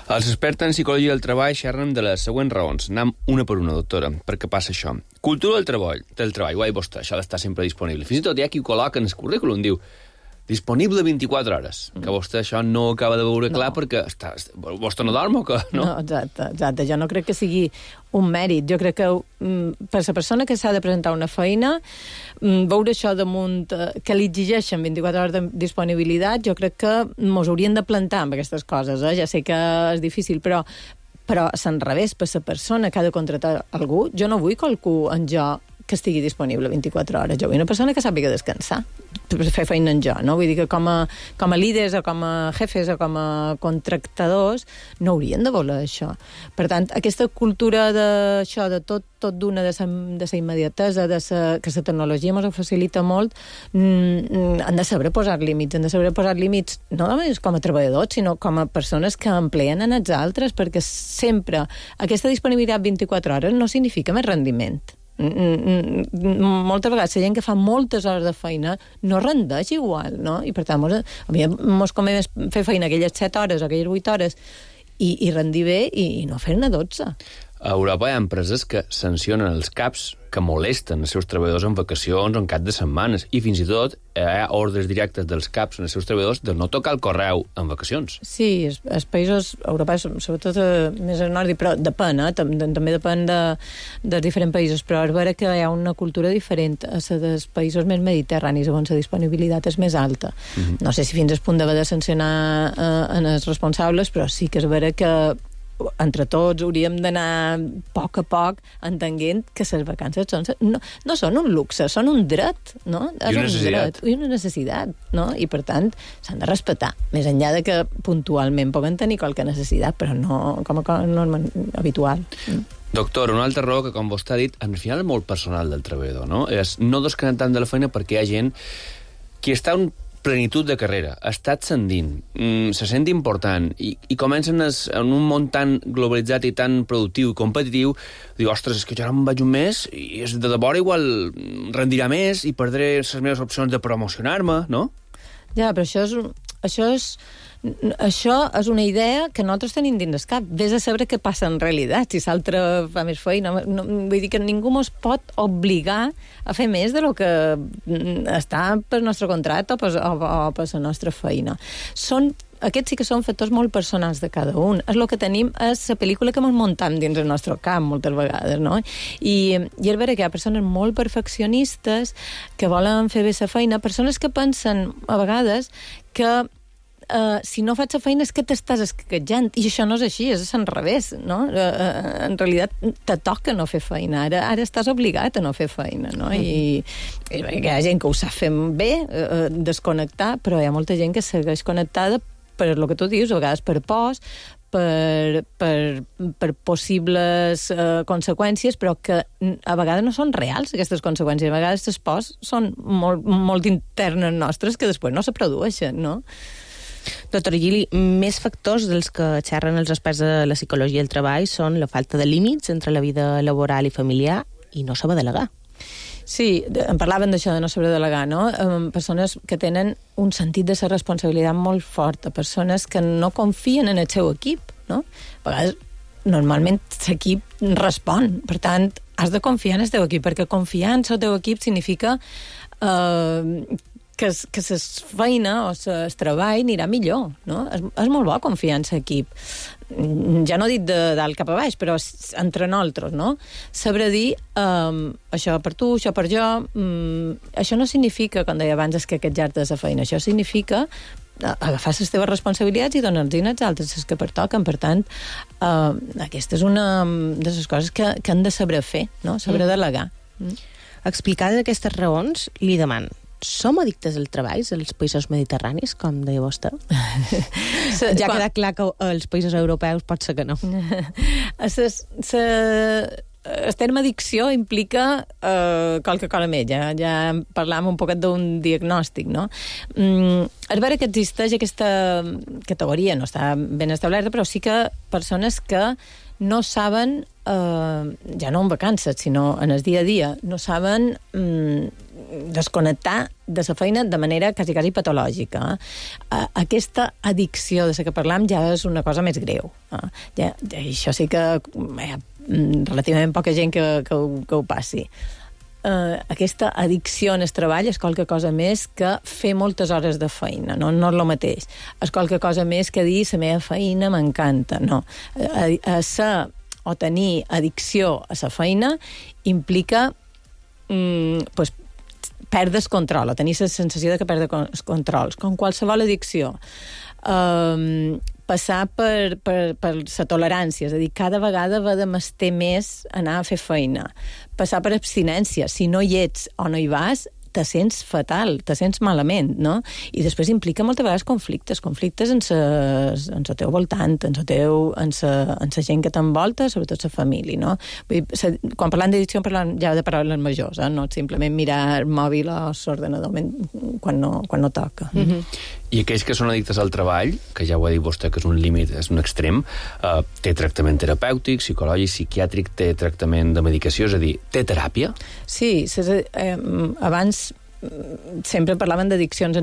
Els experts en psicologia del treball xerren de les següents raons. Anem una per una, doctora. Per què passa això? Cultura del treball, del treball, guai vostè, això d'estar sempre disponible. Fins i tot hi ha qui ho col·loca en el currículum, diu disponible vint-i-quatre hores, mm. que vostè això no acaba de veure clar no. perquè està, vostè no dorm o què? No? no, exacte, exacte. Jo no crec que sigui un mèrit. Jo crec que mm, per la persona que s'ha de presentar una feina, mm, veure això damunt, eh, que li exigeixen vint-i-quatre hores de disponibilitat, jo crec que mos haurien de plantar amb aquestes coses. Eh? Ja sé que és difícil, però però a l'enrevés, per la persona que ha de contractar algú, jo no vull qualcú en jo que estigui disponible vint-i-quatre hores. Jo vull una persona que sàpiga descansar, per fer feina en jo, no? Vull dir que com a, com a líders o com a jefes o com a contractadors no haurien de voler això. Per tant, aquesta cultura d'això, de tot, tot d'una, de la immediatesa, de sa, que la tecnologia ens ho facilita molt, mm, han de saber posar límits, han de saber posar límits no només com a treballadors, sinó com a persones que empleen en els altres, perquè sempre aquesta disponibilitat vint-i-quatre hores no significa més rendiment. Moltes vegades la gent que fa moltes hores de feina no rendeix igual, no? I per tant, mos, a mi mos convé fer feina aquelles set hores o aquelles vuit hores i, i rendir bé i, i no fer-ne dotze. A Europa hi ha empreses que sancionen els caps que molesten els seus treballadors en vacacions o en cap de setmanes, i fins i tot hi ha ordres directes dels caps en els seus treballadors de no tocar el correu en vacacions. Sí, els, els països europeus, sobretot eh, més al nord, però depèn, eh? També depèn de, dels diferents països, però és vera que hi ha una cultura diferent a la dels països més mediterranis, on la disponibilitat és més alta. Mm-hmm. No sé si fins al punt d'haver de sancionar eh, en els responsables, però sí que és vera que entre tots hauríem d'anar a poc a poc entenent que les vacances són, no, no són un luxe, són un dret, no? I una necessitat. I una necessitat, no? I per tant s'han de respectar, més enllà de que puntualment puguen tenir qualque necessitat, però no com a norma habitual. Doctor, una altra raó que, com vostè ha dit, al final és molt personal del treballador, no? És no desconnectant de la feina perquè hi ha gent que està un plenitud de carrera, està ascendint, mm, se sent important i, i comencen es, en un món tan globalitzat i tan productiu i competitiu, diu, ostres, és que jo ara em vaig un mes i és de debò igual rendirà més i perdré les meves opcions de promocionar-me, no? Ja, però això és, això és això és una idea que nosaltres tenim dins el cap. Vés a saber què passa en realitat, si l'altre fa més feina. No, vull dir que ningú ens pot obligar a fer més de lo que està pel nostre contracte o per, o, o per la nostra feina. Són Aquests sí que són factors molt personals de cada un. És el que tenim, és la pel·lícula que ens muntam dins el nostre camp, moltes vegades, no? I, i és vera que hi ha persones molt perfeccionistes que volen fer bé la feina, persones que pensen, a vegades, que Uh, si no faig la feina és que t'estàs esquetjant, i això no és així, és al revés, no? Uh, uh, en realitat te toca no fer feina, ara, ara estàs obligat a no fer feina, no? Mm. I, i hi ha gent que ho sap fer bé, uh, desconnectar, però hi ha molta gent que segueix connectada per el que tu dius, a vegades per pors, per, per, per possibles uh, conseqüències, però que a vegades no són reals, aquestes conseqüències. A vegades les pors són molt, molt internes nostres que després no se produeixen, no? Doctor Gili, més factors dels que xerren els experts de la psicologia del treball són la falta de límits entre la vida laboral i familiar i no saber delegar. Sí, en parlaven d'això de no saber delegar, no? Um, persones que tenen un sentit de la responsabilitat molt forta, persones que no confien en el seu equip, no? A vegades, normalment, l'equip respon, per tant, has de confiar en el teu equip, perquè confiar en el teu equip significa Uh, que, que la feina o el treball anirà millor, no? És, és molt bo confiar en l'equip. Ja no dit de dalt cap a baix, però entre nosaltres, no? Saber dir um, això per tu, això per jo, um, això no significa, com deia abans, esquequejar-te de la feina, això significa agafar les teves responsabilitats i donar-los als altres les que pertoquen. Per tant, uh, aquesta és una de les coses que, que han de saber fer, no? Saber mm. delegar. Mm. Explicades aquestes raons, li deman, som addictes al treball als països mediterranis, com deia vostè? Ja ha quedat clar que als països europeus pot ser que no. Ses, se... El terme addicció implica eh, qualque cosa més, ja, ja parlàvem un poquet d'un diagnòstic, no? Mm, és vera que existeix aquesta categoria, no està ben establerta, però sí que persones que no saben, eh, ja no en vacances, sinó en el dia a dia, no saben mm, desconnectar de la feina de manera quasi, quasi patològica. Eh? Aquesta addicció de la que parlam ja és una cosa més greu. Eh? Ja, ja, això sí que hi ha relativament poca gent que, que, ho, que ho passi. Uh, aquesta addicció en el treball és qualque cosa més que fer moltes hores de feina, no, no és el mateix. És qualque cosa més que dir la meva feina m'encanta, no. A, a ser o tenir addicció a la feina implica mm, pues, perdes control, o tenir la sensació de que perdes controls, com qualsevol addicció. Um, passar per, per, per la tolerància, és a dir, cada vegada va de mester més anar a fer feina. Passar per abstinència, si no hi ets o no hi vas, te sents fatal, te sents malament, no? I després implica moltes vegades conflictes, conflictes en el teu voltant, en la teu, en sa, en sa gent que t'envolta, sobretot la família, no? Vull dir, sa, quan parlant d'addicció parlant ja de paraules majors, eh? No simplement mirar el mòbil o l'ordenador quan no, quan no toca. Mm-hmm. I aquells que són addictes al treball, que ja ho ha dit vostè que és un límit, és un extrem, eh, té tractament terapèutic, psicològic, psiquiàtric, té tractament de medicació, és a dir, té teràpia? Sí, ses, eh, abans sempre parlaven d'addiccions,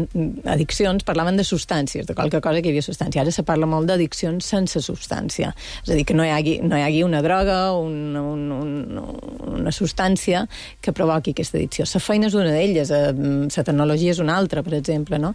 addiccions parlaven de substàncies, de qualque cosa que hi havia substància. Ara se parla molt d'addiccions sense substància. És a dir, que no hi hagi, no hi hagi una droga o un, un, un, una substància que provoqui aquesta addicció. La feina és una d'elles, la tecnologia és una altra, per exemple, no?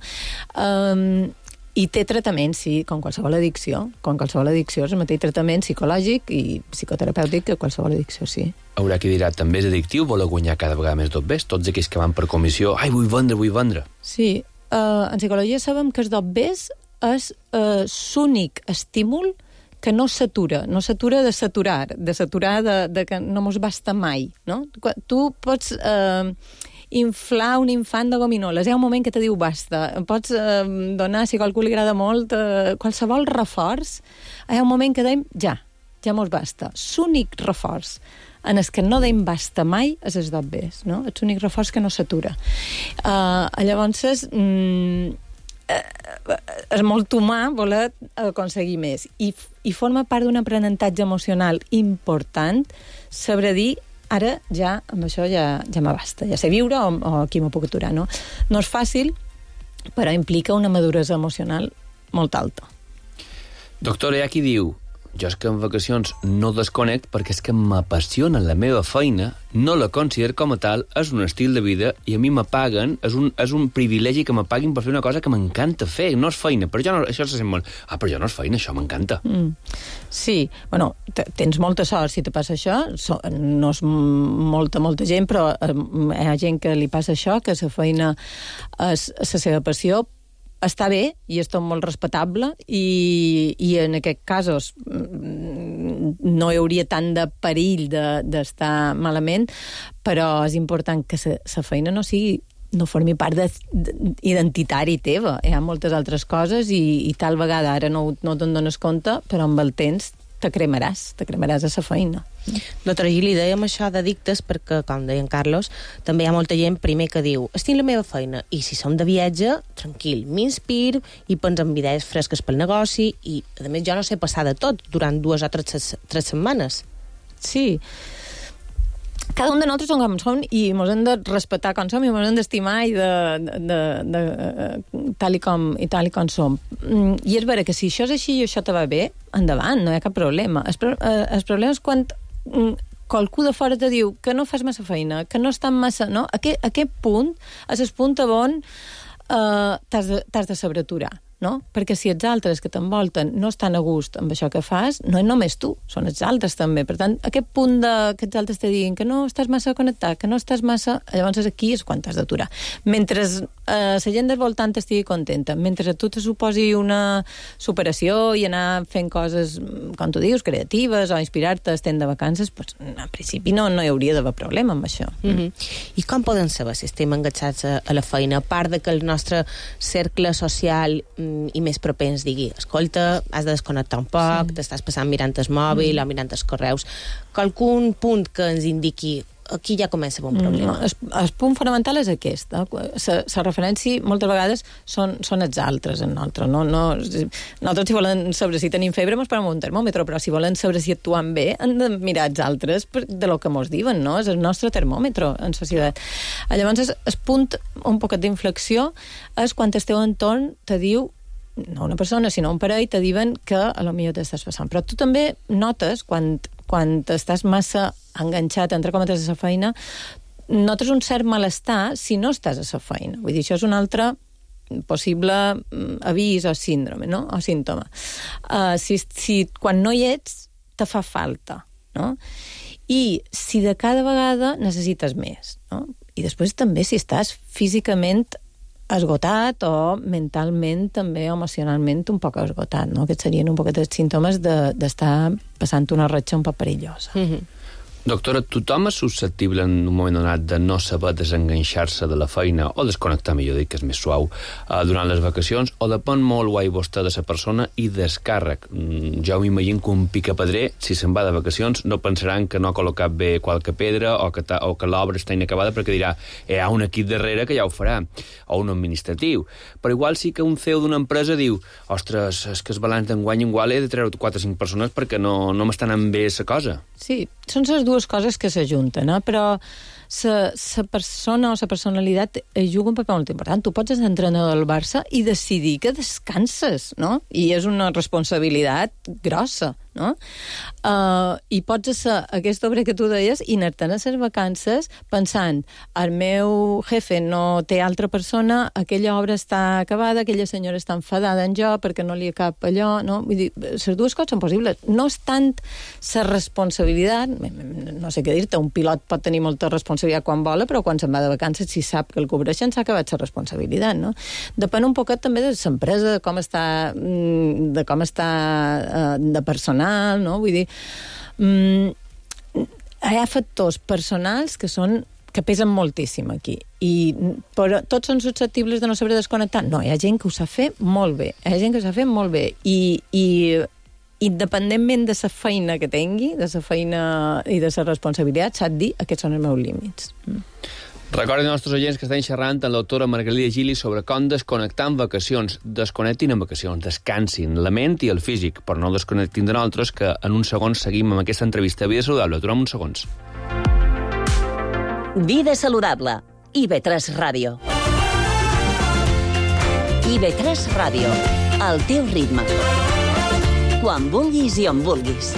Um, I té tractament, sí, com qualsevol addicció. Com qualsevol addicció és el mateix tractament psicològic i psicoterapèutic que qualsevol addicció, sí. Haurà qui dirà, també és addictiu, voler guanyar cada vegada més dobbers? Tots aquells que van per comissió, ai, vull vendre, vull vendre. Sí, uh, en psicologia sabem que els dobbers és uh, l'únic estímul que no s'atura, no s'atura de saturar, de saturar de, de que no mos basta mai, no? Tu pots... Uh, inflar un infant de gominoles. Hi ha un moment que te diu basta. Pots eh, donar, si a qualcú li agrada molt, eh, qualsevol reforç. Hi ha un moment que deim ja, ja mos basta. L'únic reforç en el que no deim basta mai és els dobbers, no? És l'únic reforç que no s'atura. Uh, llavors, és, mm, eh, és molt humà voler aconseguir més. I, i forma part d'un aprenentatge emocional important saber dir ara ja, amb això ja, ja m'abasta, ja sé viure o, o aquí m'ho puc aturar, no? No és fàcil, però implica una maduresa emocional molt alta. Doctora, hi ha qui diu, jo és que en vacacions no desconnect perquè és que m'apassiona la meva feina, no la considero com a tal, és un estil de vida i a mi me paguen, és un, és un privilegi que me paguin per fer una cosa que m'encanta fer, no és feina, però jo no, això se sent molt, ah, però jo no és feina, això m'encanta. Mm. Sí, bueno, tens molta sort si te passa això, so, no és molta, molta gent, però eh, hi ha gent que li passa això, que la feina és la seva passió, està bé i és tot molt respectable i, i en aquests casos no hi hauria tant de perill d'estar de, malament, però és important que la feina no sigui no formi part de, de, identitari teva. Hi ha moltes altres coses i, i tal vegada ara no, no te'n dones compte, però amb el temps te cremaràs, te cremaràs a la feina. Doctora Gili, dèiem això d'addictes perquè, com deia en Carlos, també hi ha molta gent primer que diu estic la meva feina, i si som de viatge tranquil, m'inspir i penso en idees fresques pel negoci i, a més, jo no sé passar de tot durant dues o tres, tres setmanes. Sí. Cada un de nosaltres som com som i ens hem de respectar com som i ens hem d'estimar i de, de, de, de tal, i com, i tal i com som. I és vera que si això és així i això te va bé, endavant, no hi ha cap problema. El, el problema és quan qualcú de fora te diu que no fas massa feina, que no estàs massa... No? Aquest, aquest punt és el punt on uh, t'has de, t'has de saber aturar. No? Perquè si els altres que t'envolten no estan a gust amb això que fas, no és només tu, són els altres també. Per tant, aquest punt de, que els altres te diguin que no estàs massa connectat, que no estàs massa... Llavors aquí és quan t'has d'aturar. Mentre eh, la gent del voltant estigui contenta. Mentre a tu te suposi una superació i anar fent coses, com tu dius, creatives o inspirar-te estent de vacances, pues, en principi no, no hi hauria d'haver problema amb això. Mm-hmm. I com podem saber si estem enganxats a, a la feina? A part de que el nostre cercle social mm, i més propens digui, escolta, has de desconnectar un poc, sí. T'estàs passant mirant el mòbil mm. o mirant els correus. Qualcun punt que ens indiqui aquí ja comença un problema. No, el, el punt fonamental és aquest. La referència moltes vegades són, són els altres en nosaltres. No? No, nosaltres, si volen saber si tenim febre, ens parem un termòmetre, però si volen saber si actuem bé, han de mirar els altres de lo que ens diuen, no? És el nostre termòmetre en societat. Llavors, el punt, un poquet d'inflexió, és quan el teu entorn te diu, no una persona, sinó un parell, te diuen que a lo millor t'estàs passant. Però tu també notes, quan, quan estàs massa enganxat, entre cometes, a la feina, notes un cert malestar si no estàs a la feina. Vull dir, això és un altre possible avís o síndrome, no? O símptoma. Uh, si, si quan no hi ets, te fa falta, no? I si de cada vegada necessites més, no? I després també si estàs físicament esgotat o mentalment, també emocionalment un poc esgotat, no? Aquests serien un poquet els símptomes de, d'estar passant una ratxa un poc perillosa. Mm-hmm. Doctora, tothom és susceptible en un moment donat de no saber desenganxar-se de la feina o desconnectar, millor dit, que és més suau, eh, durant les vacacions, o depèn molt, guai vostè, de la persona i descàrrec. Mm, jo m'imagino que un picapedrer, si se'n va de vacacions, no pensaran que no ha col·locat bé qualque pedra o que, ta, o que l'obra està inacabada perquè dirà hi ha un equip darrere que ja ho farà, o un administratiu. Però igual sí que un C E O d'una empresa diu ostres, és que el balanç d'enguany igual he de treure quatre o cinc persones perquè no, no m'estan anant bé la cosa. Sí, són les dues coses que s'ajunten, eh? Però la persona o la personalitat juga un paper molt important. Tu pots ser entrenador del Barça i decidir que descanses, no? I és una responsabilitat grossa, no? Uh, I pots ser aquesta obra que tu deies i anar-te'n a les vacances pensant el meu jefe no té altra persona, aquella obra està acabada, aquella senyora està enfadada en jo perquè no li cap allò, no? Vull dir, les dues coses són possibles. No és tant la responsabilitat, no sé què dir-te, un pilot pot tenir molta responsabilitat quan vola, però quan se'n va de vacances, si sap que el cobreixen, s'ha acabat la responsabilitat, no? Depèn un poquet també de l'empresa, de com està, de com està de personal, no? Vull dir, hi ha factors personals que són que pesen moltíssim aquí. I però tots són susceptibles de no saber desconnectar? No, hi ha gent que ho sap fer molt bé. Hi ha gent que ho sap fer molt bé. I, i independentment de la feina que tingui, de la feina i de la responsabilitat, sap dir aquests són els meus límits. Mm. Recordin als nostres oients que estan xerrant amb la doctora Margalida Gili sobre com desconnectar en vacacions. Desconnectin en vacacions, descansin la ment i el físic, però no desconnectin de nosaltres, que en uns segons seguim amb aquesta entrevista. Vida saludable, aturem uns segons. Vida saludable. I V tres Ràdio. I V tres Ràdio. Al teu ritme. Quan vulguis i on vulguis.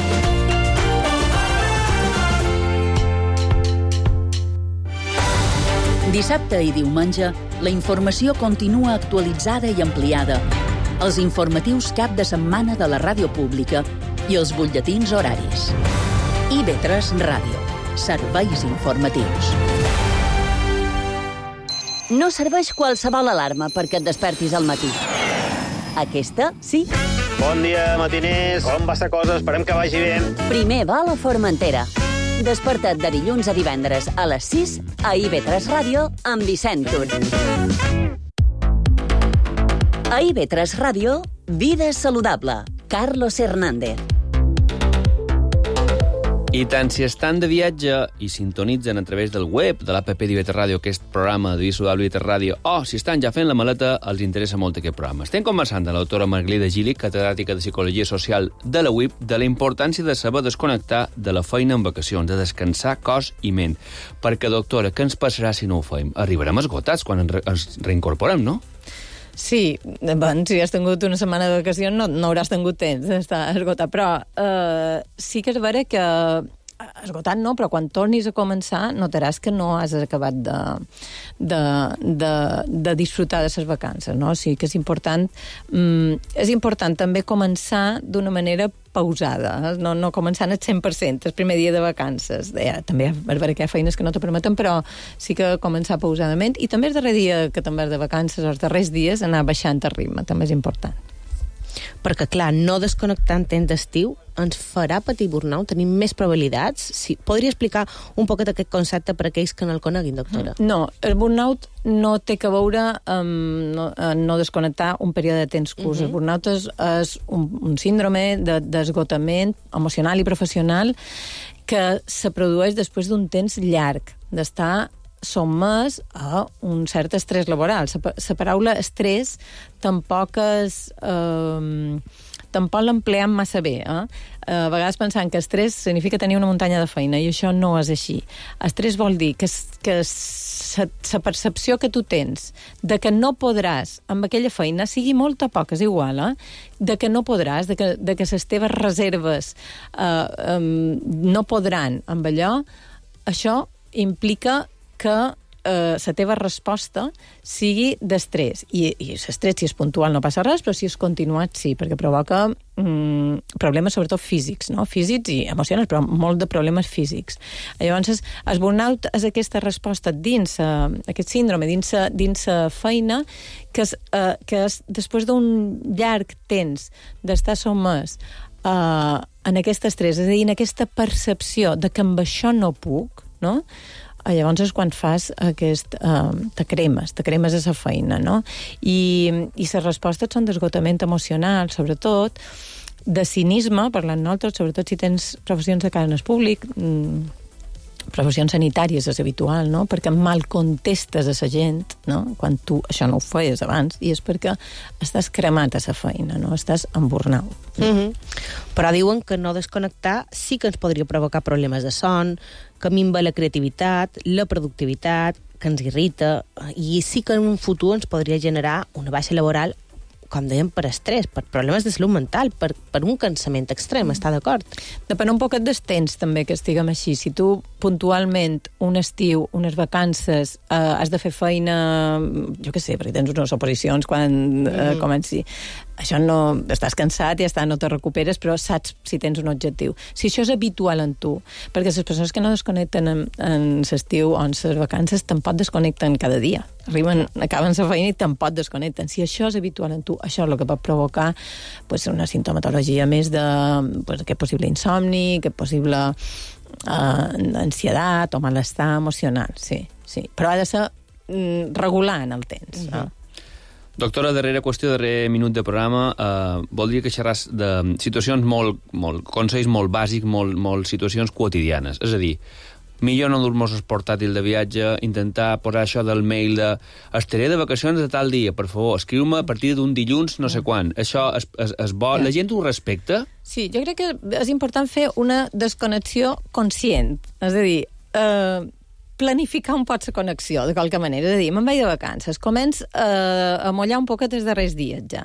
Dissabte i diumenge, la informació continua actualitzada i ampliada. Els informatius cap de setmana de la ràdio pública i els butlletins horaris. I V tres Ràdio. Serveis informatius. No serveix qualsevol alarma perquè et despertis al matí. Aquesta, sí. Bon dia, matiners. Com va la cosa? Esperem que vagi bé. Primer va a la Formentera. Desperta't de dilluns a divendres a les sis a I V tres Ràdio amb Vicent Tur. A I V tres Ràdio, Vida saludable. Carlos Hernández. I tant si estan de viatge i sintonitzen a través del web de l'app d'I V tres Ràdio, aquest programa de Vida saludable I V tres Ràdio, o si estan ja fent la maleta, els interessa molt aquest programa. Estem conversant amb la doctora Margalida Gili, catedràtica de Psicologia Social de la U I P, de la importància de saber desconnectar de la feina en vacacions, de descansar cos i ment. Perquè, doctora, què ens passarà si no ho fem? Arribarem esgotats quan ens reincorporem, no? Sí, bon, si has tingut una setmana de vacacions no, no hauràs tingut temps d'estar esgotat, però eh, sí que és vera que esgotat no, però quan tornis a començar notaràs que no has acabat de, de, de, de disfrutar de les vacances, no? O sigui que és important, mm, és important també començar d'una manera pausada, eh? no, no començant al cent per cent el primer dia de vacances. Ja, també hi ha, hi ha feines que no te permeten, però sí que començar pausadament, i també el darrer dia que te'n vas de vacances, els darrers dies, anar baixant el ritme, també és important. Perquè, clar, no desconnectar en temps d'estiu ens farà patir burnout? Tenim més probabilitats? Sí. Podria explicar un poquet aquest concepte per a aquells que no el coneguin, doctora? No, el burnout no té que veure amb no, no desconnectar un període de temps curs. Uh-huh. El burnout és, és un, un síndrome de, d'esgotament emocional i professional que se produeix després d'un temps llarg d'estar sotmès a un cert estrès laboral. La paraula estrès tampoc és... Eh, tampoc l'empleem massa bé. Eh? A vegades pensant que estrès significa tenir una muntanya de feina, i això no és així. Estrès vol dir que, que la percepció que tu tens de que no podràs amb aquella feina, sigui molta o poca, és igual, eh? de que no podràs, de que, de que les teves reserves eh, eh, no podran amb allò, això implica que eh, la teva resposta sigui d'estrès. I, i l'estrès, si és puntual, no passa res, però si és continuat, sí, perquè provoca mm, problemes, sobretot físics, no? Físics i emocionals, però molt de problemes físics. Llavors, el burnout és aquesta resposta dins, uh, aquest síndrome, dins, dins la feina, que és, uh, que és després d'un llarg temps d'estar sotmès uh, en aquest estrès, és a dir, en aquesta percepció de que amb això no puc, no? Llavors és quan fas aquest... Eh, te cremes, te cremes a la feina, no? I, i les respostes són d'esgotament emocional, sobretot, de cinisme, parlant nosaltres, sobretot si tens professions de cara en el públic, mm, professions sanitàries és habitual, no? Perquè mal contestes a la gent, no? Quan tu això no ho feies abans, i és perquè estàs cremat a la feina, no? Estàs en burnout. Mm-hmm. Però diuen que no desconnectar sí que ens podria provocar problemes de son, que minva la creativitat, la productivitat, que ens irrita, i sí que en un futur ens podria generar una baixa laboral, com dèiem, per estrès, per problemes de salut mental, per, per un cansament extrem, està d'acord? Depèn un poquet dels temps, també, que estiguem així. Si tu, puntualment, un estiu, unes vacances, eh, has de fer feina, jo què sé, perquè tens unes oposicions quan eh, mm. comenci... Això no... Estàs cansat i ja està, no te recuperes, però saps si tens un objectiu. Si això és habitual en tu, perquè les persones que no desconnecten en, en l'estiu o en les vacances tampoc desconnecten cada dia. Arriben, acaben la feina i tampoc desconnecten. Si això és habitual en tu, això és el que pot provocar pues, una sintomatologia més de pues, aquest possible insomni, aquest possible eh, ansietat o malestar emocional, sí, sí. Però ha de ser mm, regular en el temps, mm-hmm. no? Doctora, darrera qüestió, darrer minut de programa, eh, voldria que xerràs de situacions molt, molt, consells molt bàsics, molt, molt situacions quotidianes. És a dir, millor no dur-nos el portàtil de viatge, intentar posar això del mail de estaré de vacacions de tal dia, per favor, escriu-me a partir d'un dilluns no sé quan. Això és, és, és bo? La gent ho respecta? Sí, jo crec que és important fer una desconnexió conscient. És a dir, eh, planificar un poc la connexió, de qualque manera. És a dir, me'n vaig de vacances, començ eh, a mullar un poquet els darrers dies ja.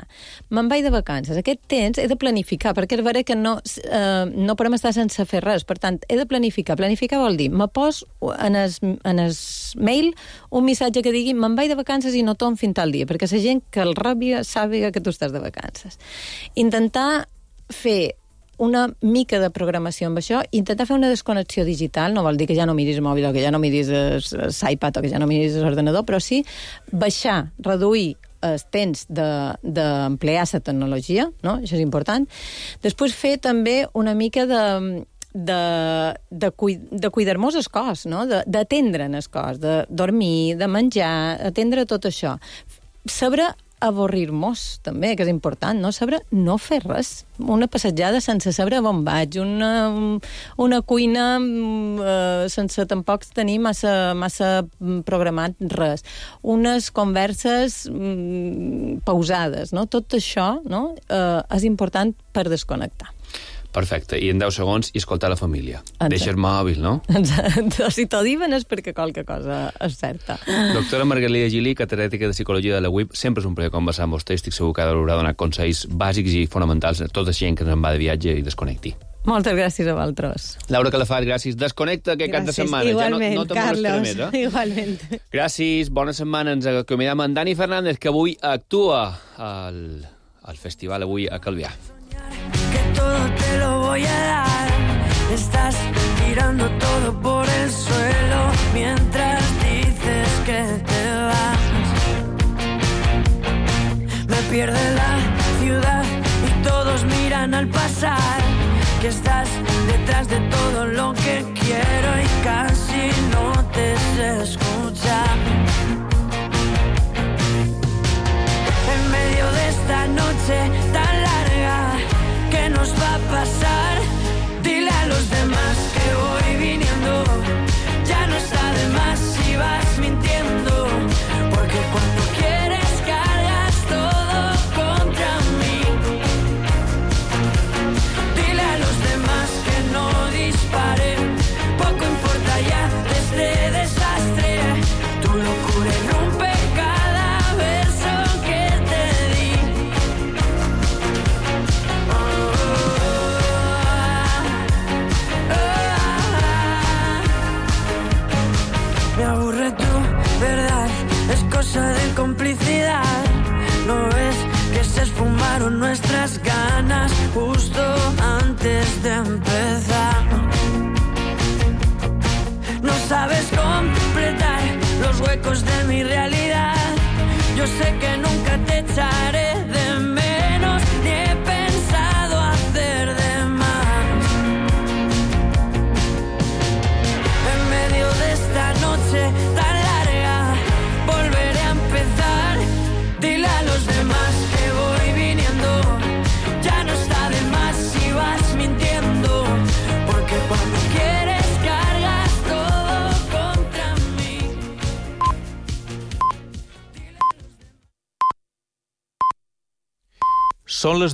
Me'n vaig de vacances. Aquest temps he de planificar, perquè és vera que no, eh, no podem estar sense fer res. Per tant, he de planificar. Planificar vol dir, me pos en el, en el mail un missatge que digui me'n vaig de vacances i no torn fins tal dia, perquè la gent que el ràbia sàpiga que tu estàs de vacances. Intentar fer una mica de programació amb això, intentar fer una desconnexió digital, no vol dir que ja no miris el mòbil o que ja no miris l'iPad o que ja no miris l'ordenador, però sí baixar, reduir el temps d'emplear de, la tecnologia, no? Això és important. Després fer també una mica de... de, de, cuid, de cuidar-nos el cos, no? D'atendre'n el cos, de dormir, de menjar, atendre tot això. Saber avorrir-nos, també, que és important, no? Saber no fer res. Una passejada sense saber on vaig, una, una cuina eh, sense tampoc tenir massa, massa programat res. Unes converses mm, pausades, no? Tot això, no? Eh, és important per desconnectar. Perfecte, i en deu segons i escoltar la família. Exacte. Deixa el mòbil, no? Exacte. Si t'ho diuen és perquè qualque cosa és certa. Doctora Margalida Gili, catedràtica de Psicologia de la U I P, sempre és un plaer conversar amb vostè, estic segur que haurà donat consells bàsics i fonamentals a tota la gent que se'n va de viatge i desconnecti. Moltes gràcies a vosaltres. Laura Calafat, gràcies. Desconnecta aquest cap de setmana. Igualment, ja no, no Carlos. Més, eh? Igualment. Gràcies, bona setmana. Ens acomiadem amb Dani Fernández, que avui actua al, al festival avui a Calvià. Que todo te lo voy a dar. Estás tirando todo por el suelo mientras dices que te vas. Me pierde la ciudad y todos miran al pasar. Que estás detrás de todo lo que quiero y casi no te sé escuchar. En medio de esta noche tan larga, ¿qué nos va a pasar? Dile a los demás que voy viniendo. Ya no está de más si vas mintiendo, porque cuando quieres cargas todo contra mí. Dile a los demás que no dispare, poco importa ya de este desastre. Tu locura irrumpe cada beso que te di. Oh, oh, oh. Me aburre tu verdad, es cosa de complicidad. ¿No ves que se esfumaron nuestras ganas justo antes de empezar? No sabes completar los huecos de mi realidad. Yo sé que nunca te echaré de menos, ni he pensado hacer de más. En medio de esta noche tan larga, volveré a empezar. Dile a los demás que voy viniendo. Ya no está de más si vas mintiendo, porque cuando quieres cargas todo contra mí. Són les